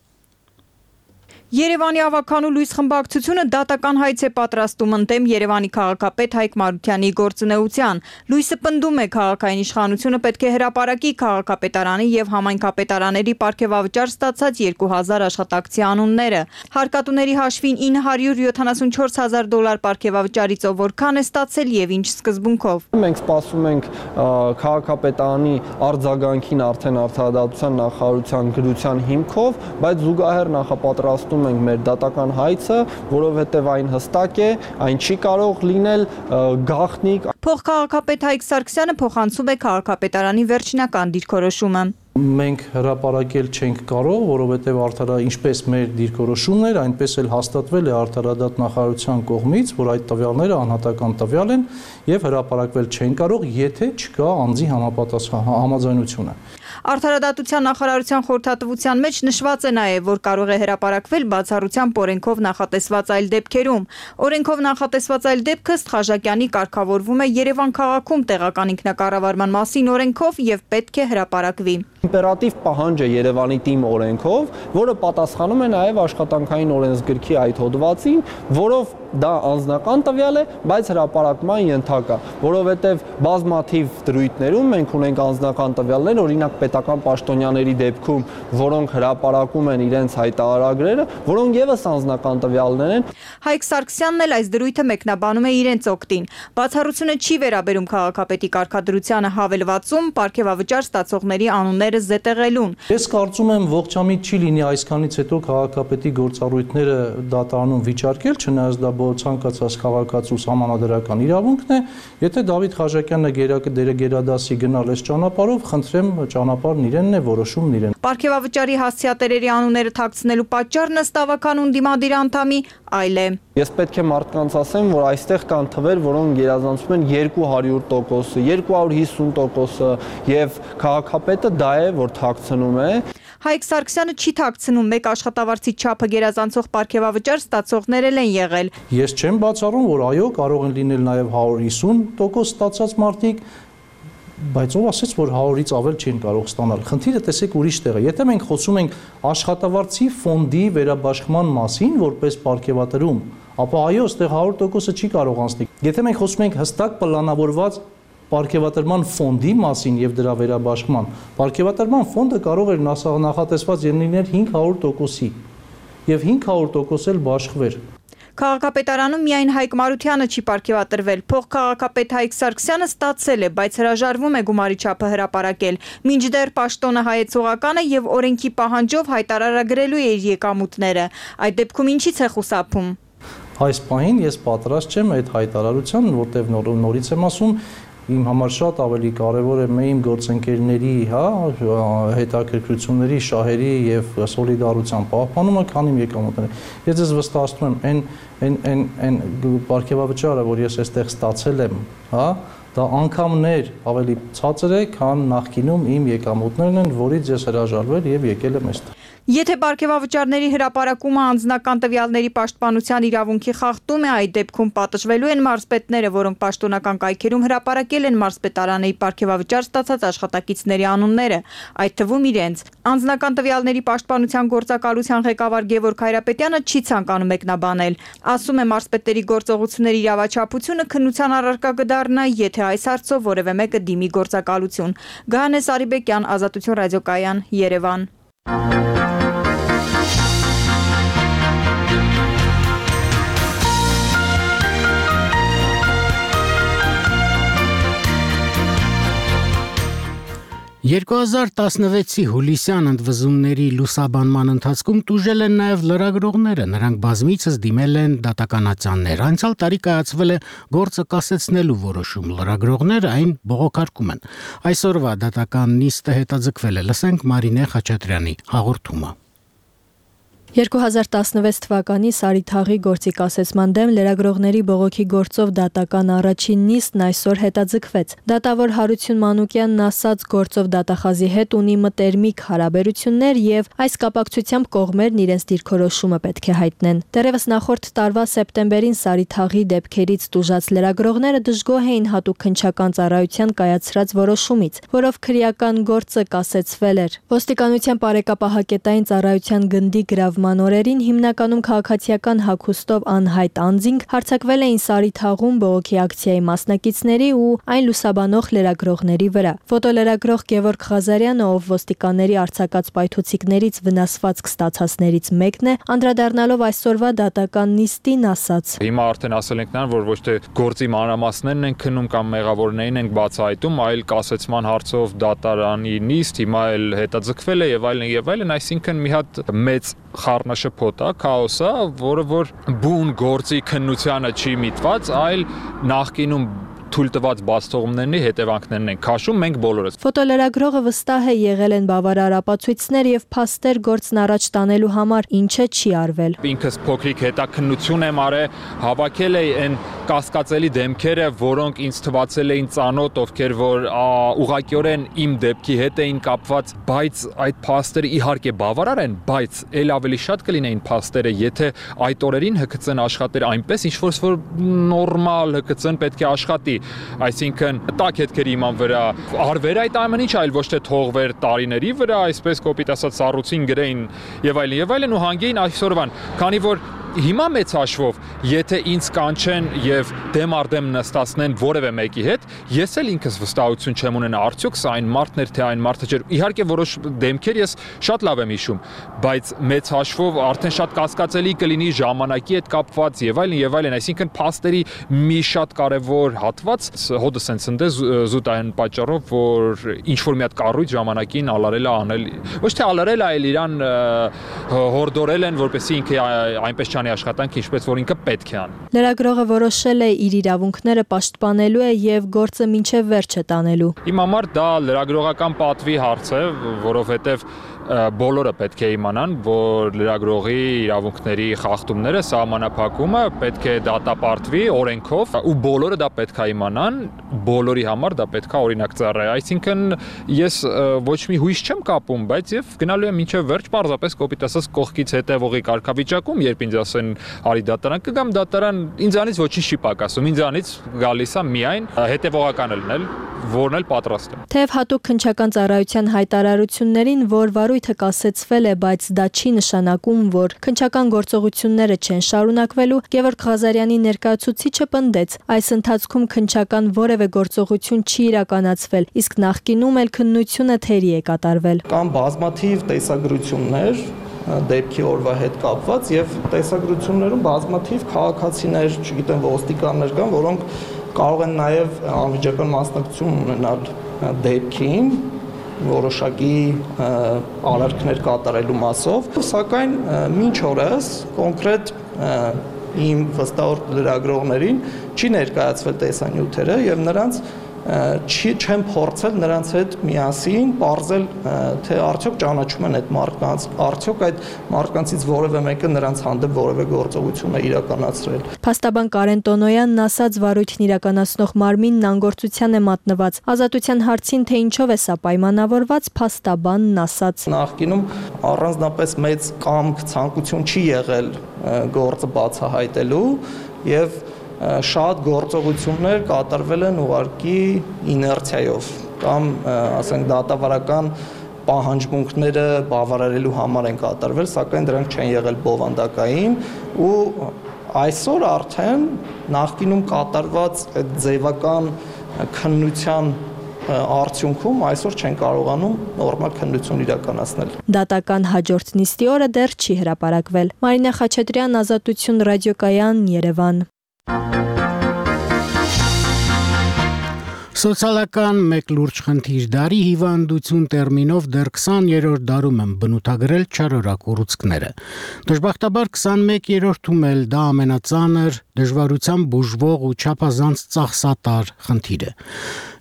Speaker 13: Երևանի ավականու լույս խմբակցությունը դատական հայց է պատրաստում ընդդեմ Երևանի քաղաքապետ Հայկ Մարությանի գործունեության։ Լույսը պնդում է, քաղաքային իշխանությունը պետք է հրապարակի քաղաքապետարանի եւ համայնքապետարաների պարգևավճար ստացած երկու հազար աշխատակցի անունները։ Հարկատուների հաշվին ինը հարյուր յոթանասունչորս հազար դոլար պարգևավճարից ով որքան է ստացել եւ ինչ սկզբունքով։
Speaker 14: Մենք սպասում ենք քաղաքապետարանի արձագանքին արդեն արդարադատության նախարարության գրության հիմքով, բայց զուգահեռ նախապատրաստում ենք մեր դատական հայցը, որովհետև այն հստակ է, այն չի կարող լինել գաղտնիք։
Speaker 13: Փոխքաղաքապետ Հայկ Սարգսյանը փոխանցում է քաղաքապետարանի վերջնական դիրքորոշումը։
Speaker 15: Մենք հրապարակել չենք կարող, որովհետև արդարա ինչպես մեր դիրքորոշումն էր, այնպես էլ հաստատվել է արդարադատ նախարարության կողմից, որ այդ տվյալները անհատական տվյալ են եւ հրապարակվել չեն կարող, եթե չկա անձի համապատասխան համաձայնությունը։
Speaker 13: Արդարադատության նախարարության խորհրդատվության մեջ նշված է նաև, որ կարող է հրապարակվել բացառությամբ օրենքով նախատեսված այլ դեպքերում։ Օրենքով նախատեսված այլ դեպքը Սխաժակյանի կարգավորվում է Երևան քաղաքում տեղական ինքնակառավարման մասին օրենքով եւ պետք է հրապարակվի։
Speaker 14: Իմպերատիվ պահանջ է Երևանի թիմ օրենքով, որը պատասխանում է նաև աշխատանքային օրենսգրքի այդ հոդվածին, որով դա անձնական տվյալ է, բայց հրապարակման ենթակա, որովհետև բազմաթիվ դրույթներում մենք ունենք անձնական տվյալներ, օրինակ պետական պաշտոնյաների դեպքում, որոնք հրապարակում են իրենց հայտարարագրերը, որոնք եւս անձնական տվյալներ են։
Speaker 13: Հայկ Սարգսյանն էլ այս դրույթը մեկնաբանում է իրենց օգտին։ Բացառությունը չի վերաբերում քաղաքապետի կարգադրությանը հավելվածում պարգևավճար ստացողների անունները զետեղելուն։
Speaker 15: Ես կարծում եմ ողջամիտ չի լինի այսքանից հետո քաղաքապետի գործառույթները դատարանում վիճարկել, չնայած դա ցանկացած քաղաքացու համանadrական իրավունքն է, եթե Դավիթ Խաչակյանը գերադասի գնալ այս ճանապարհով, խնդրեմ ճանապարհն իրենն է, որոշումն իրեն։
Speaker 13: Պարգևավճարի հասցեատերերի անունները թաքցնելու պատճառն ըստ ավականուն դիմադիր անդամի այլ է։
Speaker 14: Ես պետք է մարդկանց ասեմ, որ այստեղ կան թվեր, որոնք գերազանցում են երկու հարյուր տոկոսը, երկու հարյուր հիսուն տոկոսը, եւ քաղաքապետը դա է, որ թաքցնում է։
Speaker 13: Հայկ Սարգսյանը չի թաքցնում, մեկ աշխատավարձի չափը գերազանցող պարգևավճար ստացողներ են եղել։
Speaker 15: Ես չեմ բացառում, որ այո, կարող են լինել նաև հարյուր հիսուն տոկոս ստացած մարդիկ, բայց ով ասեց, որ հարյուրից ավել չեն կարող ստանալ։ Խնդիրը տեսեք ուրիշ տեղ է։ Եթե մենք խոսում ենք աշխատավարձի ֆոնդի վերաբաշխման մասին, որպես պարգևատրում, ապա այո, այստեղ հարյուր տոկոսը չի կարող անցնել։ Եթե մենք խոսում ենք հստակ պլանավորված պարգևատրման ֆոնդի մասին եւ դրա վերաբաշխման, պարգևատրման ֆոնդը կարող էր նախատեսված լինել հինգ հարյուր տոկոսի եւ հինգ հարյուր տոկոս էլ բաշխվեր։
Speaker 13: Քաղաքապետարանում միայն Հայկ Մարությանը չի պարգևատրվել, փոխքաղաքապետ Հայկ Սարգսյանը ստացել է, բայց հրաժարվում է գումարի չափը հրապարակել, մինչդեռ պաշտոնը հայեցողական է եւ օրենքի պահանջով հայտարարագրելու է իր եկամուտները։ Այդ դեպքում ինչի՞ց է խուսափում։
Speaker 15: Այս պահին ես պատրաստ չեմ այդ հայտարարության, որտեղ նորից եմ ասում, իմ համար շատ ավելի կարևոր է իմ գործընկերների, հա, հետաքրքրությունների, շահերի եւ սոլիդարության պահպանումը, քան իմ եկամուտները։ Ես ձեզ վստահեցնում եմ, այն այն այն այն պարգևավճարը, որ ես այստեղ ստացել եմ, հա, դա անգամներ ավելի ցածր է, քան նախկինում իմ եկամուտներն են, որից ես հրաժարվել եւ եկել եմ այստեղ։
Speaker 13: Եթե պարգևավճարների հրապարակումը անձնական տվյալների պաշտպանության իրավունքի խախտում է, այդ դեպքում պատժվելու են մարզպետները, որոնք պաշտոնական կայքերում հրապարակել են մարզպետարանի պարգևավճար ստացած աշխատակիցների անունները, այդ թվում իրենց։ Անձնական տվյալների պաշտպանության գործակալության ղեկավար Գևորգ Հայրապետյանը չի ցանկանում մեկնաբանել։ Ասում է, մարզպետերի գործողությունների իրավաչափությունը քննության առարկա կդառնա, եթե այս հարցով որևէ մեկը դիմի գործակալություն։ Գահանես Արիբեկյան, Ազատություն ռադիոկայան, Երևան։
Speaker 1: երկու հազար տասնվեցի հուլիսյան ընդվզումների լուսաբանման ընթացքում տուժել են նաև լրագրողները, նրանք բազմիցս դիմել են դատականացաններ։ Անցյալ տարի կայացվել է գործը կասեցնելու որոշում, լրագրողները այն բողոքարկում են։ Այսօրվա դատական նիստը հետաձգվել է, լսենք Մարինե Խաչատրյանի հաղորդումը։
Speaker 7: երկու հազար տասնվեց թվականի Սարիթաղի գործի կասեցման դեմ լրագրողների բողոքի գործով դատական առաջին նիստն այսօր հետաձգվեց։ Դատավոր Հարություն Մանուկյանն ասաց, գործով դատախազի հետ ունի մտերմիկ հարաբերություններ եւ այս կապակցությամբ կողմերն իրենց դիրքորոշումը պետք է հայտնեն։ Դեռևս նախորդ տարվա սեպտեմբերին Սարիթաղի դեպքերից տուժած լրագրողները դժգոհ էին հատուկ քննչական ծառայության կայացրած որոշումից, որով քրեական գործը կասեցվել էր։ Ոստիկանության բարեկապահակետային ծառայության գնդի գրավ Մանորերին հիմնականում քաղաքացիական հագուստով անհայտ անձինք հարձակվել էին Սարիթաղում բողոքի ակցիայի մասնակիցների ու այն լուսաբանող լրագրողների վրա։ Ֆոտոլրագրող Գևորգ Ղազարյանը, ով ոստիկանների արձակած պայթուցիկներից վնասվածք ստացածներից մեկն է, անդրադառնալով այսօրվա դատական նիստին ասաց.
Speaker 16: Հիմա արդեն ասել ենք նրան, որ ոչ թե գործի մանրամասներն են քննում կամ մեղավորներին են բացահայտում, այլ կասեցման հարցով դատարանի նիստ հիմա էլ հետաձգվել է եւ այլն եւ այլն, այսինքն մի հատ մեծ խառնաշփոթ է, քաոս է, որը որ բուն գործի քննությանը չի միտված, այլ նախկինում թույլ տված բացթողումների հետևանքներն են քաշում մենք բոլորս։
Speaker 7: Ֆոտոլրագրողը վստահ է, եղել են բավարար ապացույցներ եւ փաստեր գործն առաջ տանելու համար, ինչը չի արվել։
Speaker 16: Ինքս փոքրիկ հետաքննություն եմ արել, հավաքել էի այն կասկածելի դեմքերը, որոնք ինձ թվացել էին ծանոթ, ովքեր որ ուղղակիորեն իմ դեպքի հետ էին կապված, բայց այդ փաստերը իհարկե բավարար են, բայց ել ավելի շատ կլինեին փաստերը, եթե այդ օրերին ՀԿՑ-ն աշխատեր այնպես, ինչ որ նորմալ ՀԿՑ-ն պետք է աշխատի։ այսինքն տակ հետքերի իման վրա արվեր այդ ամեն ինչ, այլ ոչ թե թողվեր տարիների վրա, այսպես կոպիտ ասած սառուցին գրեին եւ այլն եւ այլն ու հանգեին այսօրվան, քանի որ հիմա մեծ հաշվով, եթե ինձ կանչեն եւ դեմ առ դեմ նստացնեն որևէ մեկի հետ, ես էլ ինքս վստահություն չեմ ունենա, արդյոք սա այն մարդն էր, թե այն մարդը չէր։ Իհարկե որոշ դեմքեր ես շատ լավ եմ հիշում, բայց մեծ հաշվով արդեն շատ կասկածելի կլինի ժամանակի հետ կապված եւ այլն եւ այլն, այսինքն փաստերի մի շատ կարեւոր հատված հոդը սենց ընդ է զուտ այն պատճառով, որ ինչ որ մի հատ կառույց ժամանակին ալարել է անել, ոչ թե ալարել է, այլ իրան հորդորել են, որպեսզի ինքը այնպես աշխատանք, ինչպես որ ինքը պետք է անի։
Speaker 17: Լրագրողը որոշել է իր իրավունքները պաշտպանելու է եւ գործը մինչեւ վերջը տանելու։
Speaker 16: Իմ համար դա լրագրողական պատվի հարց է, որովհետեւ բոլորը պետք է իմանան, որ լրագրողի իրավունքների խախտումները, սահմանափակումը պետք է դատապարտվի օրենքով ու բոլորը դա պետք է իմանան, բոլորի համար դա պետք է օրինակ ծառայի։ Այսինքն ես ոչ մի հույս չեմ կապում, բայց եւ գնալու եմ մինչեւ վերջ, պարզապես կոպիտ ասած կողքից հետևողի կարգավիճակում, երբ ինձ ասեն արի դատարան, կգամ դատարան, ինձանից ոչինչ չի պակասում, ինձանից գալիս է միայն հետևողականը լինել, որն էլ պատրաստ եմ։
Speaker 17: Թեև հատուկ քննչական ծառայության հայտարարություններին, որ վարույթը կասեցվել է, բայց դա չի նշանակում, որ քննչական գործողությունները չեն շարունակվելու, Գևորգ Ղազարյանի ներկայացուցիչը պնդեց, այս ընթացքում քննչական որևէ գործողություն չի իրականացվել, իսկ նախկինում էլ քննությունը թերի է կատարվել։
Speaker 14: Կան բազմաթիվ տեսագրություններ դեպքի օրվա հետ կապված եւ տեսագրություններում բազմաթիվ քաղաքացիներ, չգիտեմ, ոստիկաններ կան, որոնք կարող են նաեւ անմիջական մասնակցություն ունենալ դեպքին, որոշակի արարքներ կատարելու մասով, սակայն մինչ օրս կոնկրետ իմ վստահ լրագրողներին չի ներկայացվել տեսանյութերը եւ նրանց չի չեմ փորձել նրանց հետ միասին բարձել թե արդյոք ճանաչում են այդ մարդկանց, արդյոք այդ մարդկանցից որևէ մեկը նրանց հանդեպ որևէ գործողություն է իրականացրել։
Speaker 17: Փաստաբան Կարեն Տոնոյանն ասաց, վարույթն իրականացնող մարմինն անգործության է մատնված։ Ազատության հարցին, թե ինչով է սա պայմանավորված, փաստաբանն ասաց.
Speaker 14: Նախկինում առանձնապես մեծ կամք, ցանկություն չի եղել գործը բացահայտելու եւ շատ գործողություններ կատարվել են ուղղակի իներցիայով կամ ասենք դատավարական պահանջմունքները բավարարելու համար են կատարվել, սակայն դրանք չեն եղել բովանդակային ու այսօր արդեն նախկինում կատարված այդ ձևական քննության արդյունքում այսօր չեն կարողանում նորմալ քննություն իրականացնել։
Speaker 17: Դատական հաջորդ նիստի օրը դեռ չի հրապարակվել։ Մարինա Խաչատրյան, Ազատություն ռադիոկայան, Երևան։
Speaker 1: Սոցիալական մեկ լուրջ խնդիր դարի հիվանդություն տերմինով դեռ քսաներորդ դարում են բնութագրել չարորակ ուռուցքները։ Դժբախտաբար քսանմեկերորդում էլ դա ամենածանր, դժվարությամբ բուժվող ու չափազանց ծախսատար խնդիր է։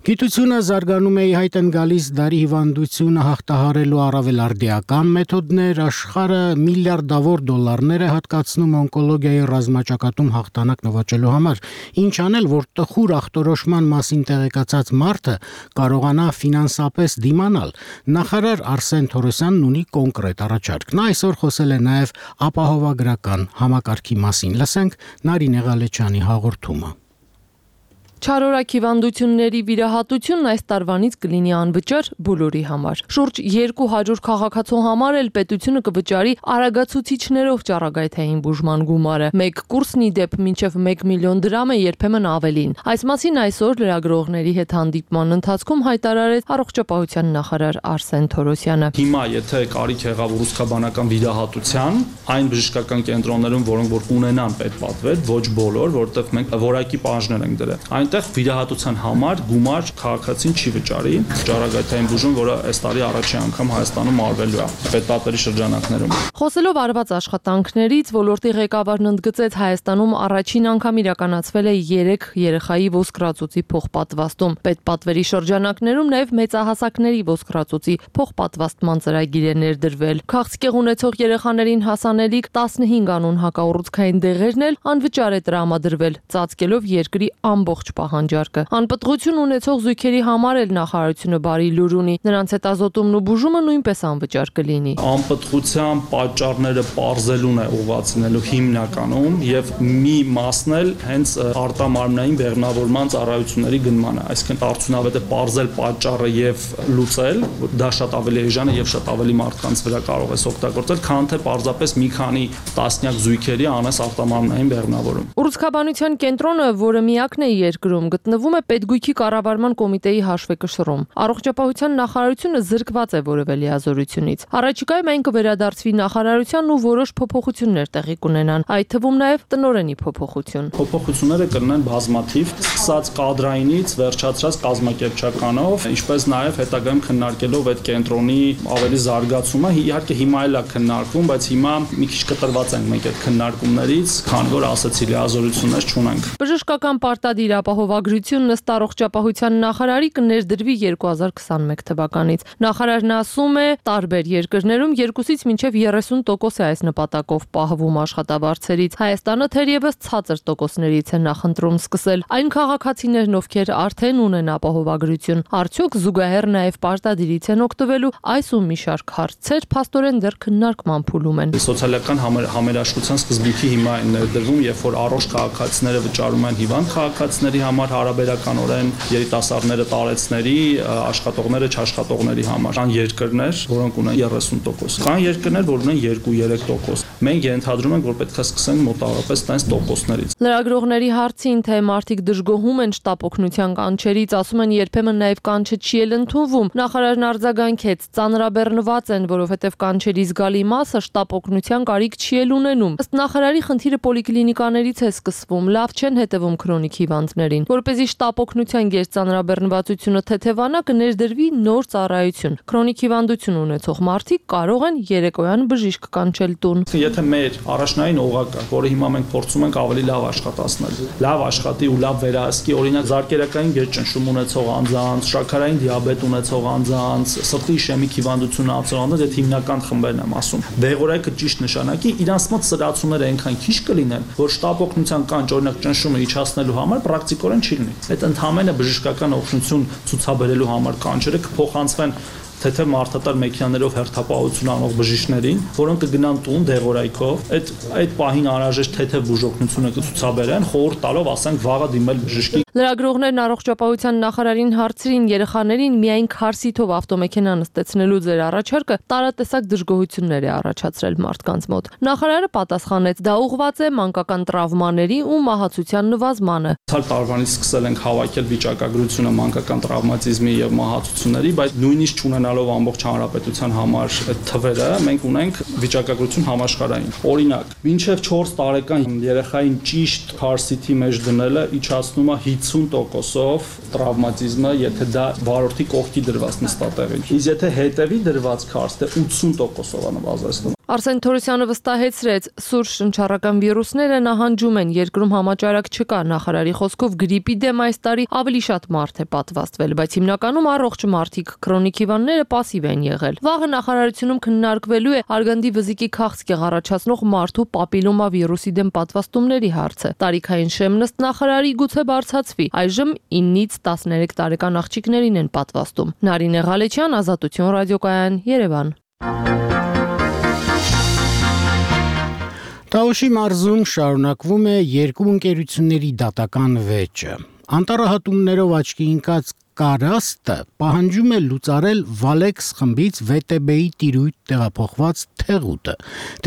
Speaker 1: Գիտությունը զարգանում է իհայտ են գալիս դարի հիվանդությունը հաղթահարելու առավել արդիական մեթոդներ, աշխարհը միլիարդավոր դոլարներ է հատկացնում օնկոլոգիայի ռազմաճակատում հաղթանակ նվաճելու համար, ինչ անել, որ տխուր ախտորոշման մասին տեղեկացած մարդը կարողանա ֆինանսապես դիմանալ։ Նախարար Արսեն Թորոսյանն ունի կոնկրետ առաջարկ։ Նա այսօր խոսել է նաև ապահովագրական համակարգի մասին։ Լսենք Նարինե Ղալեչյանի հաղորդումը։
Speaker 18: Չարորակ հիվանդությունների վիրահատությունն այս տարվանից կլինի անվճար բոլորի համար։ Շուրջ երկու հարյուր քաղաքացու համար էլ պետությունը կվճարի արագացուցիչներով ճառագայթային բուժման գումարը։ Մեկ կուրսն ի դեպ մինչև մեկ միլիոն դրամ է, երբեմն ավելին։ Այս մասին այսօր լրագրողների հետ հանդիպման ընթացքում հայտարարեց առողջապահության նախարար Արսեն Թորոսյանը։
Speaker 19: Հիմա եթե կարիք եղավ ռուսկաբանական վիրահատության, այն բժշկական կենտրոններում, որոնք որ ունենան պետպատվետ, ոչ բոլոր, որտեղ մենք որակի պահանջներ ենք դրել։ Այնտեղ վիրահատության համար գումար քաղաքացին չի վճարի։ Ճառագայթային բուժում, որը այս տարի առաջին անգամ Հայաստանում արվելու է պետպատվերի շրջանակներում։
Speaker 18: Խոսելով արված աշխատանքներից, ոլորտի ղեկավարն ընդգծեց, Հայաստանում առաջին անգամ իրականացվել է երեք երեխայի ոսկրածուծի փոխպատվաստում։ Պետպատվերի շրջանակներում նաև մեծահասակների ոսկրածուծի փոխպատվաստման ծրագիր է ներդրվել։ Քաղցկեղ ունեցող երեխաներին հասանելիք տասնհինգ անուն հակաուռուցքային դեղերն էլ անվճար է տրամադրվել, ծածկելով երկրի ամբողջ պահանջարկը։ Անպտղություն ունեցող զույգերի համար էլ նախարարությունը բարի լուր ունի։ Նրանց հետազոտումն ու բուժումը նույնպես անվճար կլինի։
Speaker 19: Անպտղության պատճառները պարզելուն է ուղղացնելու հիմնականում եւ մի մասն էլ հենց արտամարմնային բեղմնավորման ծառայությունների գնմանը, այսինքն արդյունավետ է պարզել պատճառը եւ լուծել, դա շատ ավելի էժան է եւ շատ ավելի մարդկանց վրա կարող է օգտագործել, քան թե պարզապես մի քանի տասնյակ զույգերի անես արտամարմնային բեղմնավորում։
Speaker 18: Ուռուցքաբանության կենտրոնը, որը միակն է երկրում, գտնվում է Պետգույքի կառավարման կոմիտեի հաշվեկշռում։ Առողջապահության նախարարությունը զրկված է որևէ լիազորությունից։ Առաջիկայում այն կվերադարձվի նախարարությանն ու որոշ փոփոխություններ տեղի կունենան, այդ թվում նաև տնօրենի փոփոխություն։
Speaker 19: Փոփոխությունները կլինեն բազմաթիվ, սկսած կադրայինից վերջացրած կազմակերպչականով, ինչպես նաև հետագայում քննարկելով այդ կենտրոնի ավելի զարգացումը, իհարկե հիմա էլ է քննարկվում, բայց հիմա մի քիչ կտրված ենք մենք այդ քննարկումներից, քանի որ ասացի լիազորություններ չունենք։
Speaker 18: Բժշկական պարտադիր ապահովագրությունն ըստ առողջապահության նախարարի կներդրվի երկու հազար քսանմեկ թվականից։ Նախարարն ասում է, տարբեր երկրներում երկուսից մինչև երեսուն տոկոս է այս նպատակով պահվում աշխատավարձերից։ Հայաստանը թերևս ցածր տոկոսներից է նախընտրում սկսել։ Այն քաղաքացիներն, ովքեր արդեն ունեն ապահովագրություն, արդյոք զուգահեռ նաև պարտադիրից են օգտվելու, այս ու մի շարք հարցեր փաստորեն դեռ քննարկման փուլում են։
Speaker 19: Սոցիալական համերաշխության սկզբունքի հիմա են ներդրվում, երբ որ առողջ քաղաքացիները վճարում են հիվանդ քաղաքացիների համար հարաբերականորեն, երիտասարդները տարեցների, աշխատողները չաշխատողների համար։ Կան երկրներ, որոնք ունեն երեսուն տոկոս։ Կան երկրներ, որ ունեն երկու-երեք տոկոս։ Մենք ենթադրում ենք, որ պետք է սկսենք մոտավորապես տենց տոկոսներից։
Speaker 18: Լրագրողների հարցին, թե մարդիկ դժգոհում են շտապ օգնության կանչերից, ասում են երբեմն նաև կանչը չի էլ ընդունվում։ Նախարարն արձագանքեց, ծանրաբեռնված են, որովհետև կանչերի զգալի մասը շտապ օգնության կարիք չի էլ ունենում։ Ըստ նախարարի խնդիրը պոլիկլինիկաներից է սկսվում, լավ չեն հետևում քրոնիկ հիվանդներին։ Որպեսզի շտապ օգնության գերծանրաբեռնվածությունը թեթևանա, կներդրվի նոր ծառայություն։ Քրոնիկ հիվանդություն ունեցող մարդիկ կարող են երեկոյան բժիշկ կանչել տուն։
Speaker 19: Եթե մեր առաջնային օղակը, որը հիմա մենք փորձում ենք ավելի լավ աշխատացնել, լավ աշխատի ու լավ վերահսկի, օրինակ զարկերակային գերճնշում ունեցող անձանց, շաքարային դիաբետ ունեցող անձանց, սրտի իշեմիկ հիվանդություն ունեցող անձանց, այդ հիմնական խմբերն եմ ասում։ Դեղորայքը ճիշտ նշանակի, իրանց մոտ սրացումները այնքան քիչ կլինեն, որ շտապ օգնության կանչ, օրինակ ճնշումը իջացնելու համար պրակտիկորեն չի լինի։ Այդ ընդհանրապես բժշկական օգնություն ցուցաբերելու համար կանչերը կփոխանցվեն թեթև մարդատար մեքենաներով հերթապահություն անող բժիշկներին, որոնք կգնան տուն դեղորայքով, այդ այդ պահին անհրաժեշտ թեթև բուժօգնությունը կցուցաբերեն, խորհուրդ տալով, ասենք, վաղը դիմել բժշկի։
Speaker 18: Լրագրողներն առողջապահության նախարարին հարցրին երեխաներին միայն քարսիթով ավտոմեքենա նստեցնելու ձեր առաջարկը տարատեսակ դժգոհություններ է առաջացրել մարդկանց մոտ։ Նախարարը պատասխանեց, դա ուղղված է մանկական տրավմաների ու մահացության նվազմանը։
Speaker 19: Ցալ տարվանից սկսել ենք հավաքել վիճակագրությունը մանկական տրավմատիզմի եւ մահացությունների, բայց նույնիսկ չունենալով ամբողջ հանրապետության համար այդ թվերը, մենք ունենք վիճակագրություն համաշխարհային։ Օրինակ, մինչև չորս տարեկան երեխային ճիշտ քարսիթի մեջ դնելը իջացնում է հինգսուն տոկոսով տրավմատիզմը, եթե դա վարորդի կողքի դրված նստատեղին։ Իսկ եթե հետևի դրված քարսիթը ութսուն տոկոսով է նվազեցնում։
Speaker 18: Արսեն Թորոսյանը վստահեցրեց, սուր շնչառական վիրուսները նահանջում են, երկրում համաճարակ չկա։ Նախարարի խոսքով գրիպի դեմ այս տարի ավելի շատ մարդ է պատվաստվել, բայց հիմնականում առողջ մարդիկ, քրոնիկ հիվանդները պասիվ են եղել։ Վաղը նախարարությունում քննարկվելու է արգանդի վզիկի քաղցկեղ առաջացնող մարդու պապիլոմա վիրուսի դեմ պատվաստումների հարցը։ Տարիքային շեմն ըստ նախարարի գուցե բարձրացվի։ Այժմ իննից տասներեք տարեկան աղջիկներին են պատվաստում։ Նարինե Ղալեչյան, Ազատություն ռադիոկայան, Երևան։
Speaker 1: Տաուշի մարզում շարունակվում է երկու ընկերությունների դատական վեճը։ Անտառահատումներով աչքի ընկած Կարաստը պահանջում է լուծարել Վալեքս խմբից վե տե բեի տիրույթ տեղափոխված թեղուտը։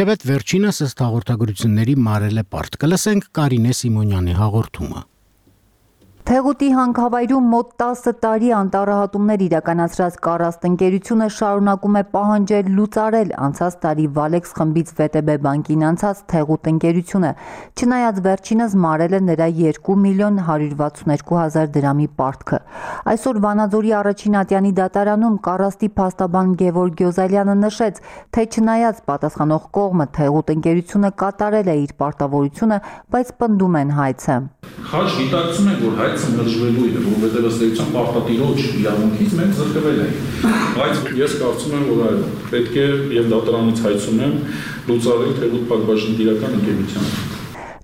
Speaker 1: Թեպետ վերջինս ըստ հաղորդագրությունների մարել է պարտ։ Կլսենք Կարինե Սիմոնյանի հաղորդումը։
Speaker 20: Թեղուտի հանքավայրում մոտ տասը տարի անտառահատումներ իրականացրած Կարաստ ընկերությունը շարունակում է պահանջել լուծարել անցած տարի Վալեքս խմբից վե տե բե բանկին անցած Թեղուտ ընկերությունը, չնայած վերջինս մարել է նրա երկու միլիոն հարյուր վաթսունեքու հազար դրամի պարտքը։ Այսօր Վանաձորի առաջին ատյանի դատարանում Կարաստի փաստաբան Գևորգ Գյոզալյանը նշեց, թե չնայած պատասխանող կողմը Թեղուտ ընկերությունը կատարել է իր պարտավորությունը, բայց պնդում են հայցը։
Speaker 21: Խաչ գիտակցում են, որ հայցը մերժվելու է, որովհետև ըստ էության պարտադիրոջ իրավունքից մենք զրկվել ենք։ Բայց ես կարծում եմ, որ այո, պետք է եւ դատարանից հայցում եմ լուծարել Թեղուտ Փակbaşıնի տիրական ընկերությանը։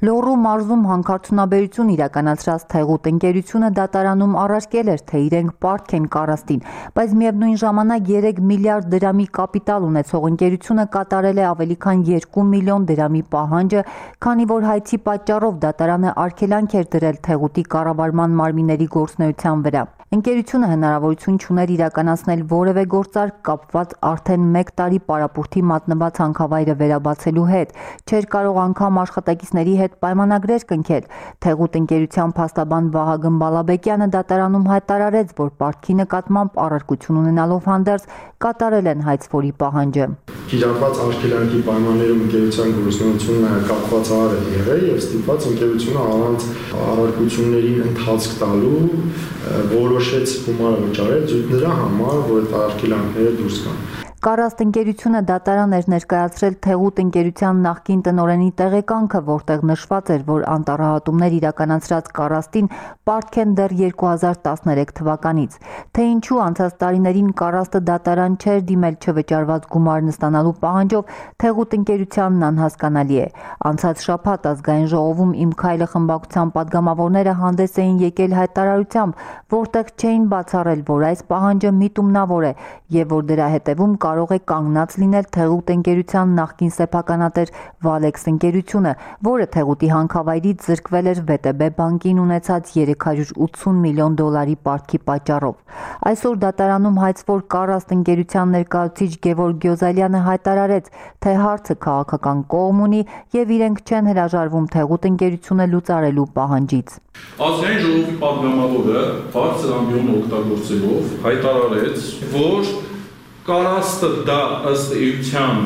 Speaker 20: Լոռու մարզում հանքարդյունաբերություն իրականացրած Թեղուտ ընկերությունը դատարանում առարկել էր, թե իրենք պարտք են կարաստին, բայց միևնույն ժամանակ երեք միլիարդ դրամի կապիտալ ունեցող ընկերությունը կատարել է ավելի քան երկու միլիոն դրամի պահանջը, քանի որ հայցի պատճառով դատարանը արգելանք էր դրել Թեղուտի կառավարման մարմինների գործունեության վրա։ Ընկերությունը հնարավորություն չուներ իրականացնել որևէ գործարք կապված արդեն մեկ տարի պարապուրդի մատնված հանքավայրը վերաբացելու հետ, չէր կարող անգամ աշխատակիցների հետ պայմանագրեր կնքել։ Թեղուտ ընկերության փաստաբան Վահագն Բալաբեկյանը դատարանում հայտարարեց, որ պարտքի նկատմամբ առարկություն ունենալով հանդերձ կատարել են հայցվորի պահանջը։
Speaker 2: Կիրառված արգելանքի պայմաններում ընկերության գործունեությունը կապված առ է եղել եւ ստիպված ընկերությունը առանց առարկությունների ընթացք տալու որոշեց գումարը վճարել նրա համար, որ այդ արգելանքները դուրս գան։
Speaker 20: Կարաստ ընկերությունը դատարան էր ներկայացրել Թեղուտ ընկերության նախկին տնօրենի տեղեկանքը, որտեղ նշված էր, որ անտառահատումներ իրականացրած Կարաստին պարտք են դեռ երկու հազար տասներեք թվականից։ Թե ինչու անցած տարիներին Կարաստը դատարան չէր դիմել չվճարված գումարն ստանալու պահանջով, Թեղուտ ընկերությանն անհասկանալի է։ Անցած շաբաթ ազգային ժողովում Իմ քայլը խմբակցության падգամավորները հանդես էին եկել հայտարարությամբ, որտեղ չէին բացառել, որ այս պահանջը միտումնավոր է եւ որ դրա հետևում կարող է կանգնած լինել Թեղուտ ընկերության նախկին սեփականատեր Վալեքս ընկերությունը, որը Թեղուտի հանքավայրից զրկվել էր վե տե բե բանկին ունեցած երեք հարյուր ութսուն միլիոն դոլարի պարտքի պատճառով։ Այսօր դատարանում հայցվոր Կարաստ ընկերության ներկայացուցիչ Գևորգ Գյոզալյանը հայտարարեց, թե հարցը քաղաքական կողմ ունի եւ իրենք չեն հրաժարվում Թեղուտ ընկերությունը լուծարելու պահանջից։
Speaker 21: Ազգային ժողովի падգամավորը բարձր ամբիոն օգտագործելով հայտարարեց, որ Կարաստը դա ըստ էության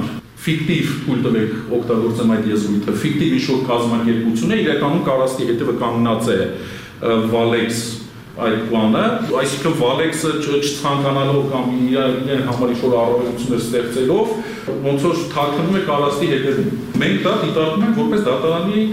Speaker 21: ֆիկտիվ թույլ տվեք օգտագործեմ այդ եզրույթը, ֆիկտիվ ինչ-որ կազմակերպություն է, իրականում Կարաստի հետևը կանգնած է Վալեքս այդ պլանը, այսինքն Վալեքսը չցանկանալով կամ իրեն համար ինչ-որ առավելություններ ստեղծելով, ոնց որ թաքնվում է Կարաստի հետևում։ Մենք դա դիտարկում ենք որպես դատարանի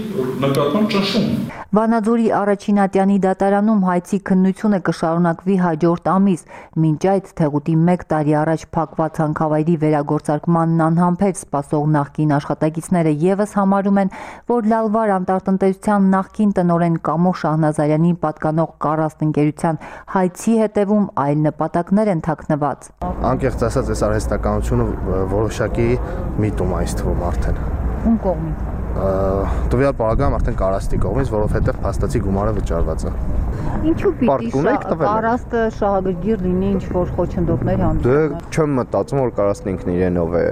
Speaker 21: նկատմամբ ճնշում։
Speaker 20: Վանաձորի առաջինատյանի դատարանում հայցի քննությունը կշարունակվի հաջորդ ամիս, մինչ այդ Թեղուտի մեկ տարի առաջ փակված հանքավայրի վերագործարկմանն անհամբեր սպասող նախկին աշխատակիցները եւս համարում են, որ Լալվար անտառտնտեսության նախկին տնօրեն Կամո Շահնազարյանին պատկանող Կարաստ ընկերության հայցի հետևում այլ նպատակներ են թաքնված։
Speaker 22: Անկեղծ ասած, այս արհեստականությունը որոշակի միտում է այս թվում արդեն։
Speaker 20: Ում կողմից։
Speaker 22: Տվյալ պարագայում արդեն Կարաստի կողմից, որովհետև փաստացի գումարը վճարված է։
Speaker 20: Ինչու պիտի Կարաստը շահագրգիռ լինի ինչ-որ խոչընդոտներ հանդիպում։
Speaker 22: Դե չեմ մտածում, որ Կարաստն ինքն իրենով է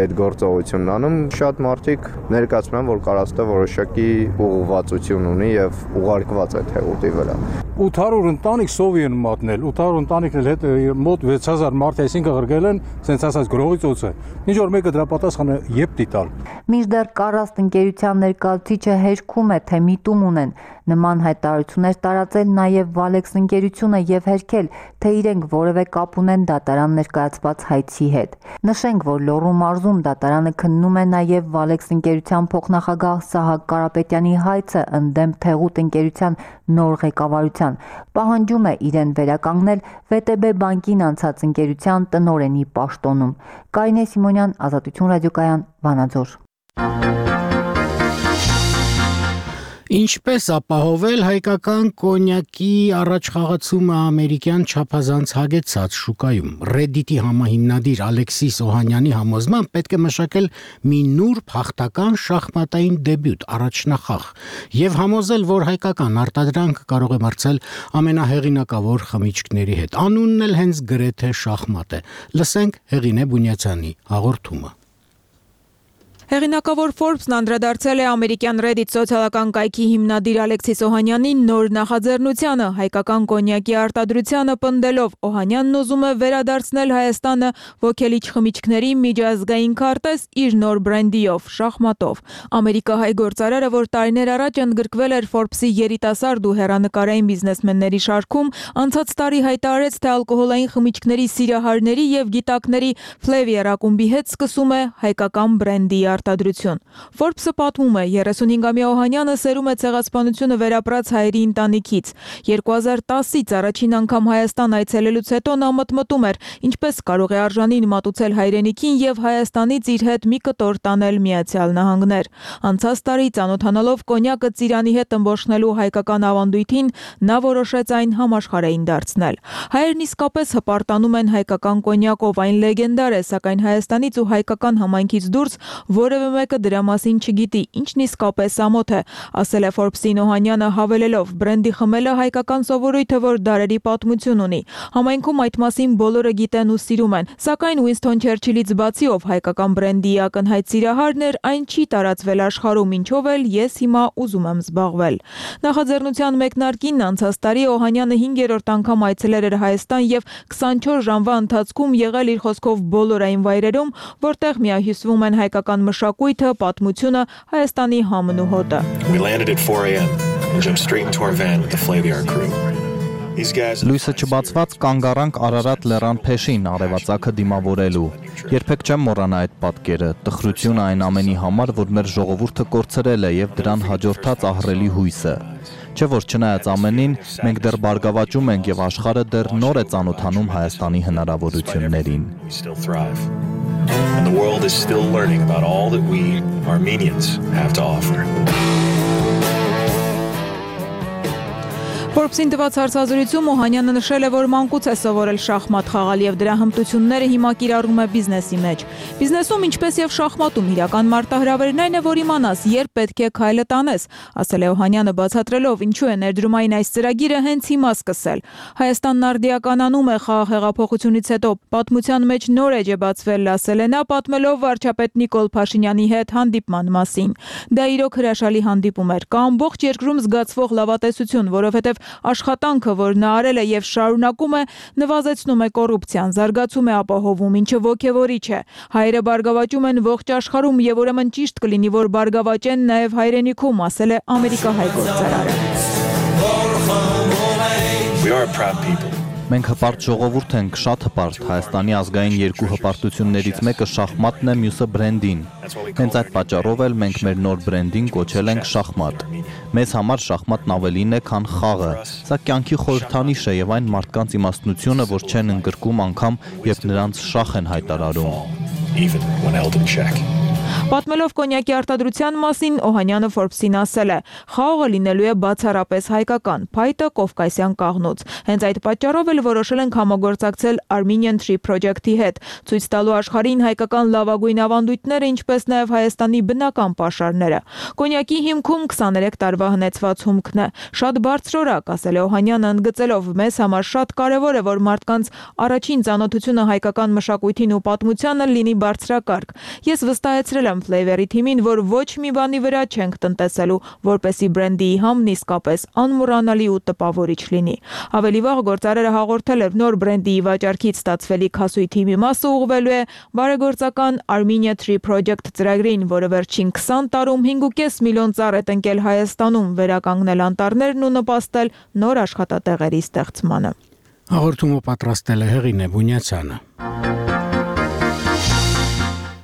Speaker 22: այդ գործողությունն անում։ Շատ մարդիկ ներկայացնում են, որ Կարաստը որոշակի ուղղվածություն ունի եւ ուղարկված է Թեղուտի վրա։
Speaker 23: ութ հարյուր ընտանիք սովի են մատնել, ութ հարյուր ընտանիքն էլ հետ մոտ վեց հազար մարդ, այսինքն ղրգել են, sense ասած գրողից օծը։ Ինչ որ մեկը դրա պատասխանը եփ դիտալ։
Speaker 20: Մինչդեռ Կարաստ ընկերության ներկայացուցիչը հերքում է, թե միտում ունեն նման հայտարարություններ տարածել նաև Վալեքս ընկերությունը եւ հերքել, թե իրենք որևէ կապ ունեն դատարան ներկայացված հայցի հետ։ Նշենք, որ Լոռու մարզում դատարանը քննում է նաև Վալեքս ընկերության փոխնախագահ Սահակ Կարապետյանի հայցը ընդդեմ Թեղուտ ընկերության նոր ղեկավարության, պահանջում է իրեն վերականգնել վե տե բե բանկին անցած ընկերության տնօրենի պաշտոնում։ Կարինե Սիմոնյան, Ազատություն ռադիոկայան, Վանաձոր։
Speaker 1: Ինչպես ապահովել հայկական կոնյակի առաջխաղացումը ամերիկյան չափազանց հագեցած շուկայում։ Reddit-ի համահիմնադիր Ալեքսիս Օհանյանի համոզմամբ պետք է մշակել մի նուրբ հաղթական շախմատային դեբյուտ առաջնախաղ եւ համոզել, որ հայկական արտադրանքը կարող է մրցել ամենահեղինակավոր խմիչքների հետ։ Անունն էլ հենց գրեթե շախմատ է։ Լսենք Հեղինե Բունյացյանի հաղորդումը։
Speaker 13: Հեղինակավոր Forbes-ն անդրադարձել է ամերիկյան Reddit սոցիալական կայքի հիմնադիր Ալեքսիս Օհանյանի նոր նախաձեռնությանը, հայկական կոնյակի արտադրությանը պնդելով, Օհանյանն ուզում է վերադարձնել Հայաստանը ոգելիչ խմիչքների միջազգային քարտեզ իր նոր բրենդիով՝ շախմատով։ Ամերիկահայ գործարարը, որ տարիներ առաջ ընդգրկվել էր Forbes-ի երիտասարդ ու հեռանկարային բիզնեսմենների շարքում, անցած տարի հայտարարեց, թե ալկոհոլային խմիչքների սիրահարների եւ գիտակների Flavier ակումբի հետ սկսում է հայկական բրենդի
Speaker 4: արտադրություն։ Forbes-ը պատմում է, երեսունհինգամյա Օհանյանը սերում է ցեղասպանությունը վերապրած հայերի ընտանիքից։ երկու հազար տասից առաջին անգամ Հայաստան այցելելուց հետո նա մտմտում էր, ինչպես կարող է արժանին մատուցել հայրենիքին եւ Հայաստանից իր հետ մի կտոր տանել Միացյալ Նահանգներ։ Անցած տարի ծանոթանալով կոնյակը ծիրանի հետ ըմբոշխնելու հայկական ավանդույթին, նա որոշեց այն համաշխարհային դարձնել։ Հայերն իսկապես հպարտանում են հայկական կոնյակով, այն լեգենդար է, սակայն Հայաստանից ու հայկական համայնքից դուրս որևէ մեկը դրա մասին չգիտի, ինչն իսկապես ամոթ է, ասել է Forbes-ին Օհանյանը հավելելով. բրենդի խմելը հայկական սովորույթ է, որ դարերի պատմություն ունի։ Համայնքում այդ մասին բոլորը գիտեն ու սիրում են, սակայն Ուինսթոն Չերչիլից բացի, ով հայկական բրենդի ակնհայտ սիրահարն էր, այն չի տարածվել աշխարհում, ինչով էլ ես հիմա ուզում եմ զբաղվել։ Նախաձեռնության մեկնարկին անցած տարի Օհանյանը հինգերորդ անգամ այցելել էր Հայաստան եւ քսանչորս ժամվա ընթացքում եղել իր խոսքով բոլոր այն վայրերում, որտեղ միահյուսվում են հայկական մշակույթը, պատմությունը, Հայաստանի համն ու հոտը։
Speaker 5: We landed at four a m and jumped straight into our van with the Flaviar crew.
Speaker 6: Լույսը չբացված կանգ առանք Արարատ լեռան փեշին արևածագը դիմավորելու։ Երբեք չեմ մոռանա այդ պատկերը, տխրությունը այն ամենի համար, որ մեր ժողովուրդը կորցրել է եւ դրան հաջորդած ահռելի հույսը։ Չէ որ չնայած ամենին, մենք դեռ բարգավաճում ենք եւ աշխարհը դեռ նոր է ծանոթանում Հայաստանի հնարավորություններին։
Speaker 5: And the world is still learning about all that we Armenians have to offer.
Speaker 4: Forbes-ին տված հարցազրույցում Օհանյանը նշել է, որ մանկուց է սովորել շախմատ խաղալ եւ դրա հմտությունները հիմա կիրառում է բիզնեսի մեջ։ Բիզնեսում, ինչպես եւ շախմատում, իրական մարտահրավերն այն է, որ իմանաս, երբ պետք է քայլը տանես, ասել է Օհանյանը բացատրելով, ինչու է ներդրումային այս ծրագիրը հենց հիմա սկսել։ Հայաստանն արդիականանում է խաղաղ հեղափոխությունից հետո, պատմության մեջ նոր էջ է բացվել, ասել է նա, պատմելով վարչապետ Նիկոլ Փաշինյանի հետ հանդիպման մասին։ Դա իրոք հրաշալի հանդիպում էր, կա ամբողջ երկրում զգացվող լավատեսություն, որովհետեւ աշխատանքը, որ նա արել է եւ շարունակում է, նվազեցնում է կոռուպցիան, զարգացում է ապահովում, ինչը ոգևորիչ է։ Հայերը բարգավաճում են ողջ աշխարհում եւ ուրեմն ճիշտ կլինի, որ բարգավաճեն նաեւ հայրենիքում, ասել է ամերիկահայ գործարարը։
Speaker 5: We are a proud people.
Speaker 6: Մենք հպարտ ժողովուրդ ենք, շատ հպարտ։ Հայաստանի ազգային երկու հպարտություններից մեկը շախմատն է, մյուսը բրենդին։ Հենց այդ պատճառով էլ մենք մեր նոր բրենդին կոչել ենք շախմատ։ Մեզ համար շախմատն ավելին է, քան խաղը։ Սա կյանքի խորհրդանիշ է եւ այն մարդկանց իմաստնությունը, որ չեն ընդգրկում անգամ, երբ նրանց շախ են հայտարարում։
Speaker 4: Պատմելով կոնյակի արտադրության մասին, Օհանյանը Forbes-ին ասել է. խաղը լինելու է բացառապես հայկական, փայտը կովկասյան կաղնուց։ Հենց այդ պատճառով էլ որոշել ենք համագործակցել Armenian Tree Project-ի հետ, ցույց տալու աշխարհին հայկական լավագույն ավանդույթները, ինչպես նաև Հայաստանի բնական պաշարները։ Կոնյակի հիմքում քսաներեք տարվա հնեցված հումքն է։ Շատ բարձրորակ, ասել է Օհանյանը, ընդգծելով, մեզ համար շատ կարևոր է, որ մարդկանց առաջին ծանոթությունը հայկական մշակույթին ու պատմությանը լինի բարձրակարգ։ Ես վստահեցրել եմ Flaviar-ի թիմին, որ ոչ մի բանի վրա չենք տնտեսելու, որպեսի բրենդի համն իսկապես անմոռանալի ու տպավորիչ լինի։ Ավելի վաղ գործարարը հաղորդել էր նոր բրենդի վաճառքից ստացվելիք հասույթի մի մասը ուղղվելու է բարեգործական Armenia Tree Project ծրագրին, որը վերջին քսան տարում հինգ ու կես միլիոն ծառ է տնկել Հայաստանում, վերականգնել անտառներն ու նպաստել նոր աշխատատեղերի ստեղծմանը։
Speaker 1: Հաղորդումը պատրաստել է Հեղինե Բունյացյանը։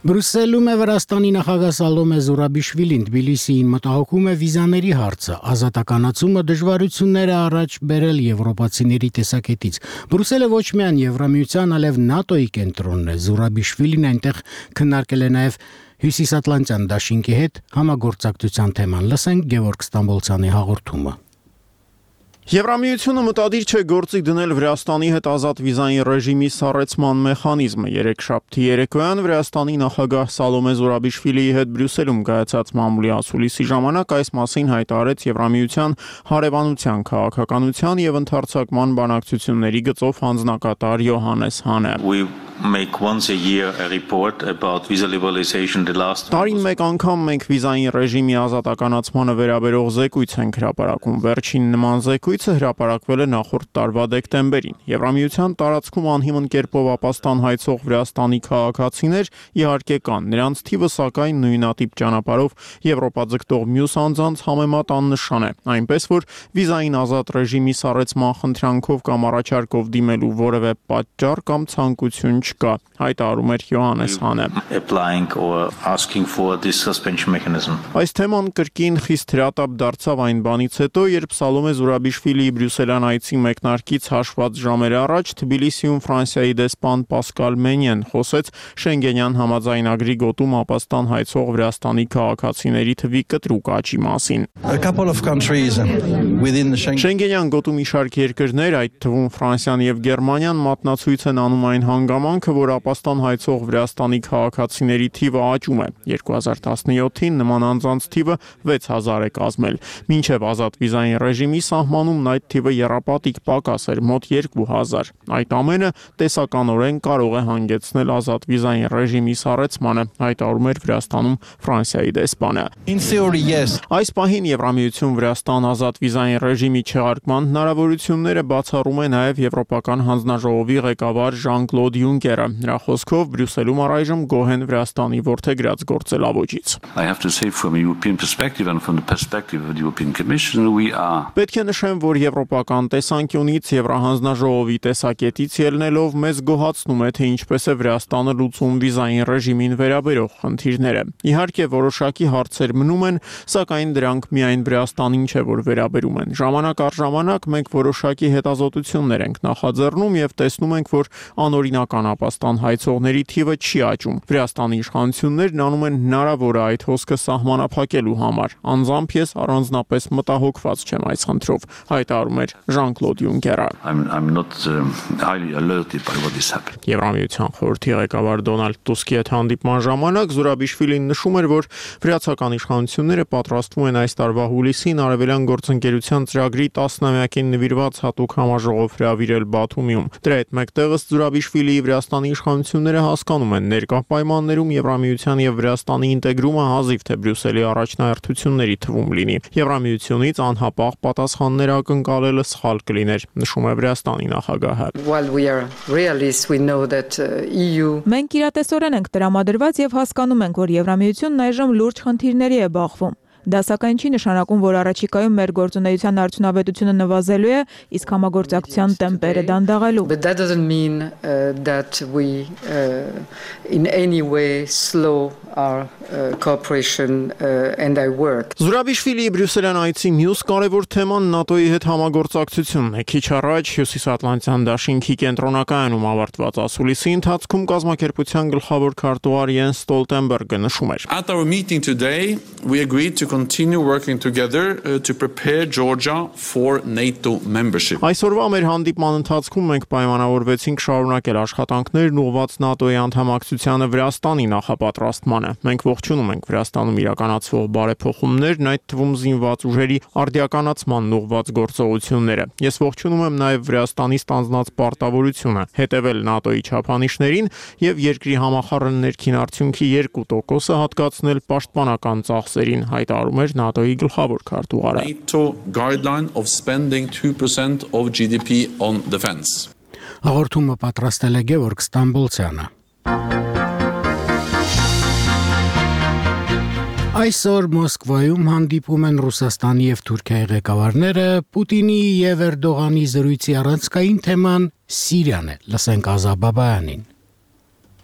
Speaker 1: Բրուսելում է Վրաստանի նախագահ Սալոմե Զուրաբիշվիլին Թբիլիսիին մտահոգում է վիզաների հարցը, ազատականացումը դժվարություններ է առաջ բերել եվրոպացիների տեսակետից։ Բրուսելը ոչ միայն Եվրամիության, այլև ՆԱՏՕ-ի կենտրոնն է։ Զուրաբիշվիլին այնտեղ քննարկել է նաև Հյուսիսատլանտյան դաշինքի հետ համագործակցության թեման։ Լսենք Գևորգ Ստամբոլցյանի հաղորդումը։
Speaker 24: Եվրամիությունը մտադիր չէ գործի դնել Վրաստանի հետ ազատ վիզային ռեժիմի սառեցման մեխանիզմը։ Երեքշաբթի երեկոյան Վրաստանի նախագահ Սալոմե Զուրաբիշվիլիի հետ Բրյուսելում կայացած մամուլի ասուլիսի ժամանակ այս մասին հայտարարեց Եվրամիության հարևանության, քաղաքականության եւ ընդհանրացման բանակցությունների գծով հանձնակատար Յոհանես Հանը։
Speaker 25: Make once a year a report about visa liberalization the last
Speaker 24: Տարին մեկ անգամ մենք վիզային ռեժիմի ազատականացմանը վերաբերող զեկույց ենք հրապարակում։ Վերջին նման զեկույց զեկույցը հրապարակվել է նախորդ տարվա դեկտեմբերին։ Եվրամիության տարածքում անհիմն կերպով ապաստան հայցող Վրաստանի քաղաքացիներ իհարկե կան, նրանց թիվը սակայն նույնատիպ ճանապարհով Եվրոպա ձգտող մյուս անձանց համեմատ աննշան է, այնպես որ վիզային ազատ ռեժիմի սառեցման խնդրանքով կամ առաջարկով դիմելու որևէ պատճառ կամ ցանկություն չկա, հայտարարում էր Յոհաննես Հանը։ Այս թեման կրկին խիստ հրատապ դարձավ այն բանից հետո, երբ Սալոմե Զուրաբիշվիլիի Բրյուսելյան այցի մեկնարկից հաշված ժամեր առաջ Թբիլիսիում Ֆրանսիայի դեսպան Պասկալ Մենյեն խոսեց Շենգենյան համաձայնագրի գոտում ապաստան հայցող Վրաստանի քաղաքացիների թվի կտրուկ աճի մասին։ Շենգենյան գոտում մի շարք երկրներ, այդ թվում Ֆրանսիան եւ Գերմանիան մատնացույց են անում այն հանգամանքը, որ ապաստան հայցող Վրաստանի քաղաքացիների թիվը աճում է։ երկու հազար տասնյոթին նման անձանց թիվը վեց հազար է կազմել։ Մինչև ազատ վիզային ռեժիմի սահմանումն այդ թիվը եռապատիկ պակաս էր, մոտ երկու հազար։ Այդ ամենը տեսականորեն կարող է հանգեցնել ազատ վիզային ռեժիմի սառեցմանը, հայտարարում էր Վրաստանում Ֆրանսիայի դեսպանը։ Այս պահին Եվրամիություն Վրաստան ազատ վիզային ռեժիմի չեղարկման հնարավորությունները բացառում է նաև Եվրոպական հանձնաժողովի ղեկավար Ժան-Կլոդ Յունկերը։ Նրա խոսքով Բրյուսելում առայժմ գոհ են Վրաստանի որդեգրած գործելավոճից։ Պետք է նշեմ, որ եվրոպական տեսանկյունից Եվրահանձնաժողովի տեսակետից ելնելով մեզ գոհացնում է, թե ինչպես է Վրաստանը լուծում վիզային ռեժիմին վերաբերող խնդիրները։ Իհարկե որոշակի հարցեր մնում են, սակայն դրանք միայն Վրաստանին չէ, որ վերաբերում են։ Ժամանակ առ ժամանակ մենք որոշակի հետազոտություններ ենք նախաձեռնում եւ տեսնում ենք, որ անօրինական ապաստան հայցողների թիվը չի աճում։ Վրաստանի իշխանություններն անում են հնարավորը այդ հոսքը սահմանափակելու համար։ Անձամբ ես առանձնապես մտահոգված չեմ այս խնդրով, հայտարարում էր Ժան-Կլոդ Յունկերը։ Եվրամիության խորհրդի ղեկավար Դոնալդ Տուսկի հետ հանդիպման ժամանակ Զուրաբիշվիլին նշում էր, որ վրացական իշխանությունները պատրաստվում են այս տարվա հուլիսին արևելյան գործընկերության ծրագրի տասնամյակին նվիրված հատուկ համաժողով հրավիրել Բաթումիում։ Դրա հետ մեկտեղս Զուրաբիշվիլիի Վրաստանի իշխանությունները հասկանում են ներկա պայմաններում Եվրամիության եւ Վրաստանի ինտեգրումը հազիվ թե Բրյուսելի առաջնահերթությունների թվում լինի։ Եվրամիությունից անհապաղ պատասխաններ ակնկալելը սխալ կլիներ, նշում է Վրաստանի նախագահը։
Speaker 4: Մենք իրատեսորեն ենք տրամադրված եւ հասկանում ենք, որ Եվրամիությունն այժմ լուրջ խնդիրների է բախվում։ Դա սակայն չի նշանակում, որ առաջիկայում մեր գործունեության արդյունավետությունը նվազելու է, իսկ համագործակցության տեմպերը դանդաղելու։
Speaker 3: But that doesn't mean uh, that we uh, in any way slow our uh, cooperation uh, and our work.
Speaker 24: Զուրաբիշվիլիի Բրյուսելյան այցի մյուս կարևոր թեման ՆԱՏՕ-ի հետ համագործակցությունն է։ Քիչ առաջ Հյուսիսատլանտյան դաշինքի կենտրոնակայանում ավարտված ասուլիսի ընթացքում կազմակերպության գլխավոր քարտուղար Յենս Ստոլտենբերգը նշում էր.
Speaker 21: At our meeting today, we agreed to continue working together uh, to prepare Georgia for NATO membership.
Speaker 24: Այսօրվա մեր հանդիպման ընթացքում մենք պայմանավորվեցինք շարունակել աշխատանքներն ուղղված ՆԱՏՕ-ի անդամակցությանը Վրաստանի նախապատրաստմանը։ Մենք ողջունում ենք Վրաստանում իրականացվող բարեփոխումներն, այդ թվում զինված ուժերի արդիականացմանն ուղղված գործողությունները։ Ես ողջունում եմ նաև Վրաստանի ստանձնած պարտավորությունը հետևել ՆԱՏՕ-ի չափանիշներին եւ երկրի համախառն ներքին արդյունքի երկու տոկոսը հատկացնել պաշտպանական ծախսերին, հայտարարում էր ՆԱՏՕ-ի գլխավոր քարտուղարը։
Speaker 21: NATO guideline of spending two percent of G D P on defense.
Speaker 1: Հաղորդումը պատրաստել է Գևորգ Ստամբոլցյանը։ Այսօր Մոսկվայում հանդիպում են Ռուսաստանի եւ Թուրքիայի ղեկավարները, Պուտինի եւ Էրդողանի զրույցի առանցքային թեման Սիրիան է, լսենք Ազա Բաբայանին։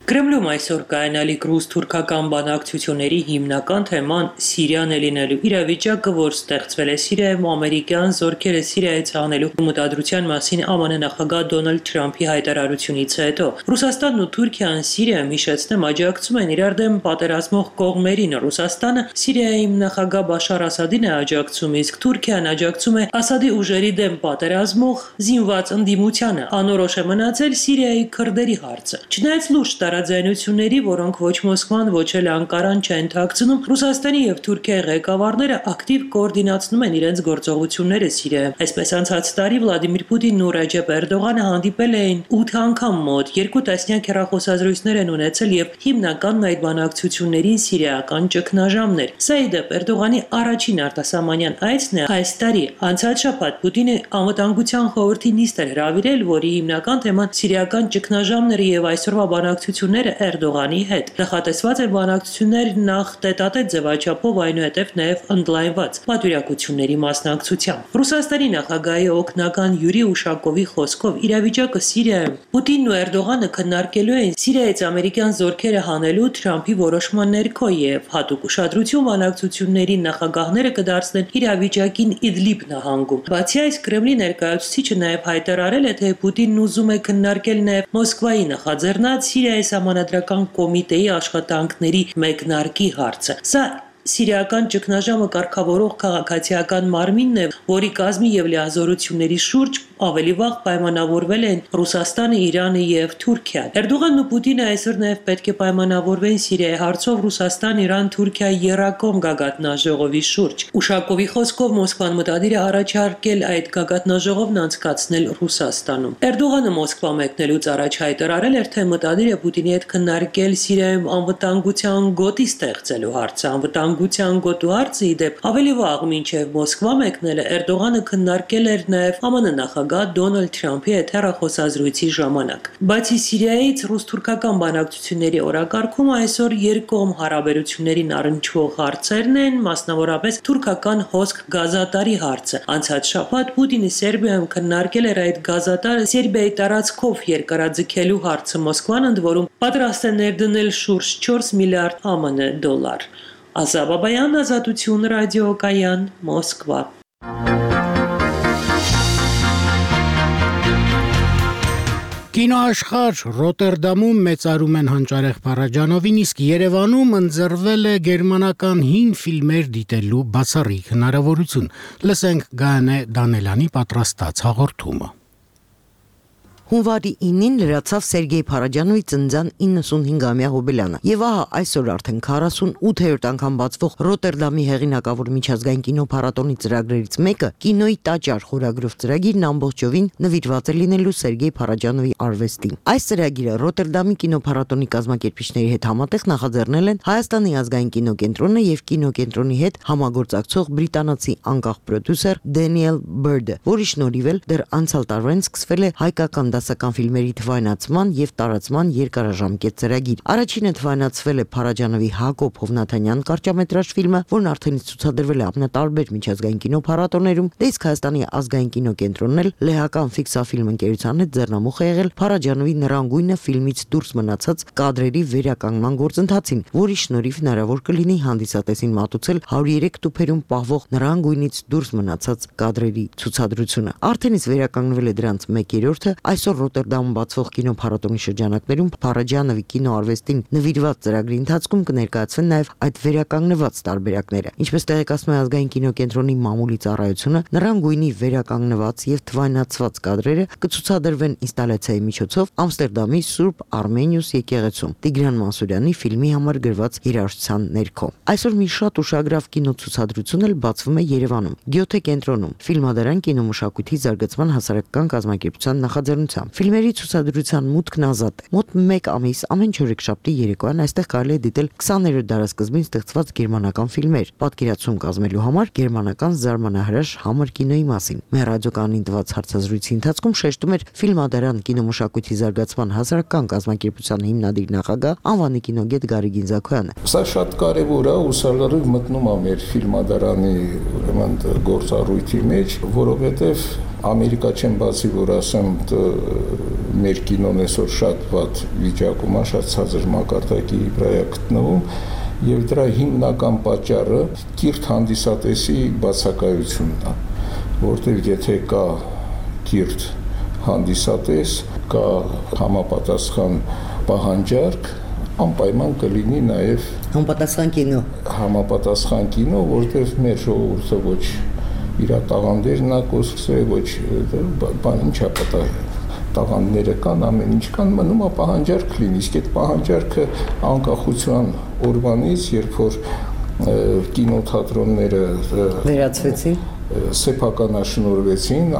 Speaker 8: Կրեմլում այսօր կայանալիք ռուս-թուրքական բանակցությունների հիմնական թեման Սիրիան է լինելու։ Իրավիճակը, որ ստեղծվել է Սիրիայում, ամերիկյան զորքերը Սիրիայից հանելու մտադրության մասին ԱՄՆ նախագահ Դոնալդ Թրամփի հայտարարությունից հետո Ռուսաստանն ու Թուրքիան Սիրիայում, հիշեցնեմ, աջակցում են իրար դեմ պատերազմող կողմերին։ Ռուսաստանը Սիրիայում նախագահ Բաշար Ասադին է աջակցում, իսկ Թուրքիան աջակցում է Ասադի ուժերի դեմ պատերազմող զինված ընդդիմությանը։ Անորոշ է մնացել Սիրիայի քրդերի հարցը։ Չնայած լուրջ տարաձայնությունների, որոնք ոչ Մոսկվան, ոչ էլ Անկարան չեն թաքցնում, Ռուսաստանի եւ Թուրքիայի ղեկավարները ակտիվ կոորդինացնում են իրենց գործողությունները Սիրիայում։ Այսպես անցած տարի Վլադիմիր Պուտինն ու Ռեջեփ Էրդողանը հանդիպել էին ութ անգամ մոտ, երկու տասնյակ հեռախոսազրույցներ են ունեցել եւ հիմնականն այդ բանակցություններին սիրիական ճգնաժամն էր։ Սա ի դեպ Էրդողանի առաջին արտասահմանյան այցն է այս տարի։ Անցած շաբաթ Պուտինը անվտանգության խորհրդի նիստ էր հրավիրել, որի հիմնական թեման սիրիական ճգնաժամները եւ այսօրվա բանակցությունները Էրդողանի հետ։ Նախատեսված են բանակցություններ նախ տետատետ ձևաչափով, այնուհետև նաեւ ընդլայնված պատվիրակությունների մասնակցությամբ։ Ռուսաստանի նախագահի օգնական Յուրի Ուշակովի խոսքով իրավիճակը Սիրիայում Պուտինն ու Էրդողանը քննարկելու են Սիրիայից ամերիկյան զորքերը հանելու Թրամփի որոշման ներքո եւ հատուկ ուշադրություն բանակցությունների նախագահները կդարձնեն իրավիճակին Իդլիբ նահանգում։ Բացի այս, Կրեմլի ներկայացուցիչը նաեւ հայտարարել է, թե Պուտինն ուզում է քննարկել նաեւ Մոսկվայի նախաձեռնած Սիրիայի Սահմանադրական կոմիտեի աշխատանքների մեկնարկի հարցը։ Սա Սիրիական ճգնաժամը կարգավորող քաղաքացիական մարմինն է, որի կազմի եւ լիազորությունների շուրջ ավելի վաղ պայմանավորվել են Ռուսաստանը, Իրանը եւ Թուրքիան։ Էրդողանն ու Պուտինը այսօր նաեւ պետք է պայմանավորվեն Սիրիայի հարցով Ռուսաստան, Իրան, Թուրքիա երակոմ գագաթնաժողովի շուրջ։ Ուշակովի խոսքով Մոսկվան մտադիր է առաջարկել այդ գագաթնաժողովն անցկացնել Ռուսաստանում։ Էրդողանը Մոսկվա մեկնելուց առաջ հայտարարել էր, թե մտադիր է Պուտինի հետ քննարկել Սիրիայում անվտանգության գոտի ստեղծելու հարցը։ Անվտանգության գոտու հարցը ի դեպ ավելի վաղ մինչև Մոսկվա մեկնելը Էրդողանը քննարկել էր նաեւ ԱՄՆ նախագահ Դոնալդ Թրամփի հետ հեռախոսազրույցի ժամանակ։ Բացի Սիրիայից ռուս-թուրքական բանակցությունների օրակարգում այսօր երկկողմ հարաբերություններին առնչվող հարցերն են, մասնավորապես թուրքական հոսք գազատարի հարցը։ Անցած շաբաթ Պուտինը Սերբիայում քննարկել էր այդ գազատարը Սերբիայի տարածքով երկարաձգելու հարցը։ Մոսկվան ընդ որում պատրաստ է ներդնել շուրջ չորս միլիարդ ԱՄՆ դոլար։ Ազա Բաբայան, Ազատություն ռադիոկայան, Մոսկվա։
Speaker 1: Կինոաշխարհ Ռոտերդամում մեծարում են Հանճարեղ Փարաջանովին, իսկ Երևանում ընձեռվել է գերմանական հին ֆիլմեր դիտելու բացառիկ հնարավորություն։ Լսենք Գայանե Դանելյանի պատրաստած հաղորդումը։
Speaker 9: Հունվարի ինին լրացավ Սերգեյ Փարաջանովի ծննդյան իննսունհինգամյա հոբելյանը, եւ ահա այսօր արդեն քառասունութերորդ անգամ բացվող Ռոտերդամի հեղինակավոր միջազգային կինոփառատոնի ծրագրերից մեկը կինոյի տաճար խորագրով ծրագիրն ամբողջովին նվիրված է լինելու Սերգեյ Փարաջանովի արվեստին։ Այս ծրագիրը Ռոտերդամի կինոփառատոնի կազմակերպիչների հետ համատեղ նախաձեռնել են Հայաստանի ազգային կինոկենտրոնը եւ կինոկենտրոնի հետ համագործակցող բրիտանացի անկախ պրոդյուսեր Դենիել Բերդը, որի շնորհիվ էլ դեռ անցյալ տարվանից սկսվել է հայկական դասական ֆիլմերի թվայնացման եւ տարածման երկարաժամկետ ծրագիր։ Առաջինը թվայնացվել է Փարաջանովի Հակոբ Հովնաթանյան կարճամետրաժ ֆիլմը, որն արդեն ցուցադրվել է ամենատարբեր միջազգային կինոփառատոներում, դե իսկ Հայաստանի ազգային կինոկենտրոնն էլ լեհական ֆիքսաֆիլմ ընկերության հետ ձեռնամուխ է եղել Փարաջանովի Նրան գույնը ֆիլմից դուրս մնացած կադրերի վերականգնման գործընթացին, որի շնորհիվ հնարավոր կլինի հանդիսատեսին մատուցել հարյուրերեք տուփերում պահվող Նրան գույնից դուրս մնացած կադրերի ցուցադրությունը։ Արդեն իսկ վերականգնվել է դրանց մեկ երրորդը, այսօր Ռոտերդամում բացվող կինոփառատոնի շրջանակներում Փարաջանովի կինոարվեստին նվիրված ծրագրի ընթացքում կներկայացվեն նաև այդ վերականգնված տարբերակները։ Ինչպես տեղեկացնում է ազգային կինոկենտրոնի մամուլի ծառայությունը, Նրան գույնի վերականգնված եւ թվայնացված կադրերը կցուցադրվեն ինստալացիայի միջոցով Ամստերդամի Սուրբ Արմենիուս եկեղեցում Տիգրան Մանսուրյանի ֆիլմի համար գրված երաժշտության ներքո։ Այսօր մի շատ ուշագրավ կինոցուցադրություն էլ բացվում է Երևանում, Գյոթե կենտրոնում, Ֆիլմադարան կինոմշակույթի զարգացման հասարակական կազմակերպության նախաձեռնությամբ։ Ֆիլմերի ցուցադրության մուտքն ազատ է։ Մոտ մեկ ամիս ամեն չորեքշաբթի երեկոյան այստեղ կարելի է դիտել քսաներորդ դարասկզբին ստեղծված գերմանական ֆիլմեր, պատկերացում կազմելու համար գերմանական զարմանահրաշ համր կինոյի մասին։ Մեր ռադիոկայանին տված հարցազրույցի ընթացքում շեշտում էր Ֆիլմադարան կինոմշակույթի զարգացման հասարակական կազմակերպության հիմնադիր նախագահ անվանի կինոգետ Գարիկ Ինձաքոյանը։
Speaker 10: Սա շատ կարևոր է ու սա լրիվ մտնում է մեր Ֆիլմադարանի ուրեմն գործառույթի մեջ, որովհետև Ամերիկա չեմ բացի, որ ասեմ, մեր կինոն այսօր շատ վատ վիճակում է, շատ ցածր մակարդակի վրա է գտնվում, եւ դրա հիմնական պատճառը կիրթ հանդիսատեսի բացակայությունն է, որտեղ եթե կա կիրթ հանդիսատես, կա համապատասխան պահանջարկ, անպայման կլինի նաեւ
Speaker 9: համապատասխան կինո,
Speaker 10: համապատասխան կինո, որտեղ մեր ժողովուրդը ոչ իր տաղանդերն է կոսկսե, ոչ բան ինչա պատահ տաղանդները կան, ամեն ինչ կան, մնում է պահանջարկ լինի, իսկ այդ պահանջարկը անկախության օրվանից, երբ որ կինոթատրոնները
Speaker 9: վերացվեցին,
Speaker 10: սեփականաշնորհվեցին,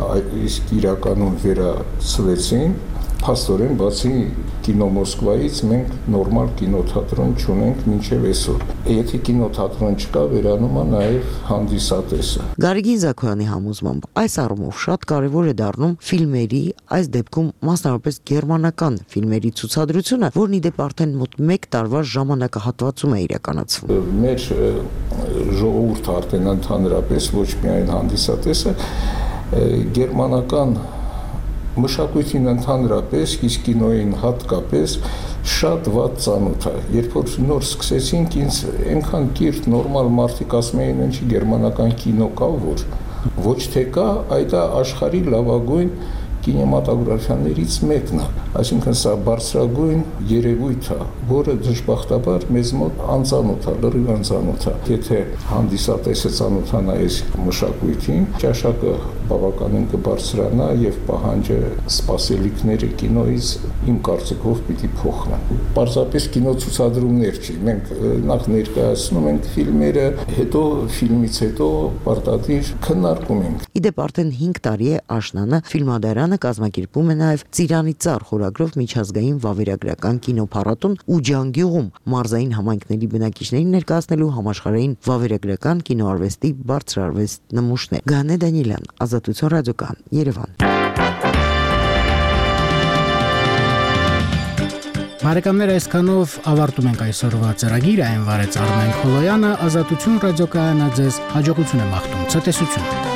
Speaker 10: իսկ իրականում վերացվեցին, փաստորեն բացի կինո Մոսկվայից մենք նորմալ կինոթատրոն չունենք մինչև այսօր։ Եթե կինոթատրոն չկա, վերանում է նաև հանդիսատեսը։
Speaker 9: Գարեգին Զաքոյանի համոզմամբ այս առումով շատ կարևոր է դառնում ֆիլմերի, այս դեպքում մասնավորապես գերմանական ֆիլմերի ցուցադրությունը, որն ի դեպ արդեն մոտ մեկ տարվա ժամանակահատվածում է իրականացվում։
Speaker 10: Մեր ժողովուրդը արդեն ընդհանրապես ոչ միայն հանդիսատեսը, գերմանական մշակույթին ընդհանրապես, իսկ կինոյին հատկապես շատ վատ ծանոթ է։ Երբ որ նոր սկսեցինք, ինձ այնքան կիրթ նորմալ մարդիկ ասում էին, ինչի գերմանական կինո կա, որ ոչ թե կա, այլ դա աշխարհի լավագույն կինեմատոգրաֆիաներից մեկն է, այսինքն սա բարձրագույն երևույթ է, որը դժբախտաբար մեզ մոտ անծանոթ է, լրիվ անծանոթ է։ Եթե հանդիսատեսը ծանոթանա այս մշակույթին, ճաշակը բավականին կբարձրանա եւ պահանջը սպասելիքները կինոից իմ կարծիքով պիտի փոխվեն։ Պարզապես կինոցուցադրումներ չի, մենք նախ ներկայացնում ենք ֆիլմերը, հետո ֆիլմից հետո պարտադիր քննարկում ենք։
Speaker 9: Իդեպ արդեն հինգ տարի է աշնանը ֆիլմադարանը կազմակերպում է նաև Ծիրանի ծառ խորագրով միջազգային վավերագրական կինոփառատոն ու Ջանգյուղում մարզային համայնքների բնակիչներին ներկայացնելու համաշխարհային վավերագրական կինոարվեստի բարձրարվեստ նմուշներ։ Գանե Դանիելյան, Ազատություն ռադիոկան, Երևան։
Speaker 1: Բարեկամներ, այսքանով ավարտում ենք այսօրվա ծրագիրը, այն վարեց Արմեն Խոլոյանը, Ազատություն ռադիոկայանը ձեզ հաջողություն է մաղթում, ցտեսություն։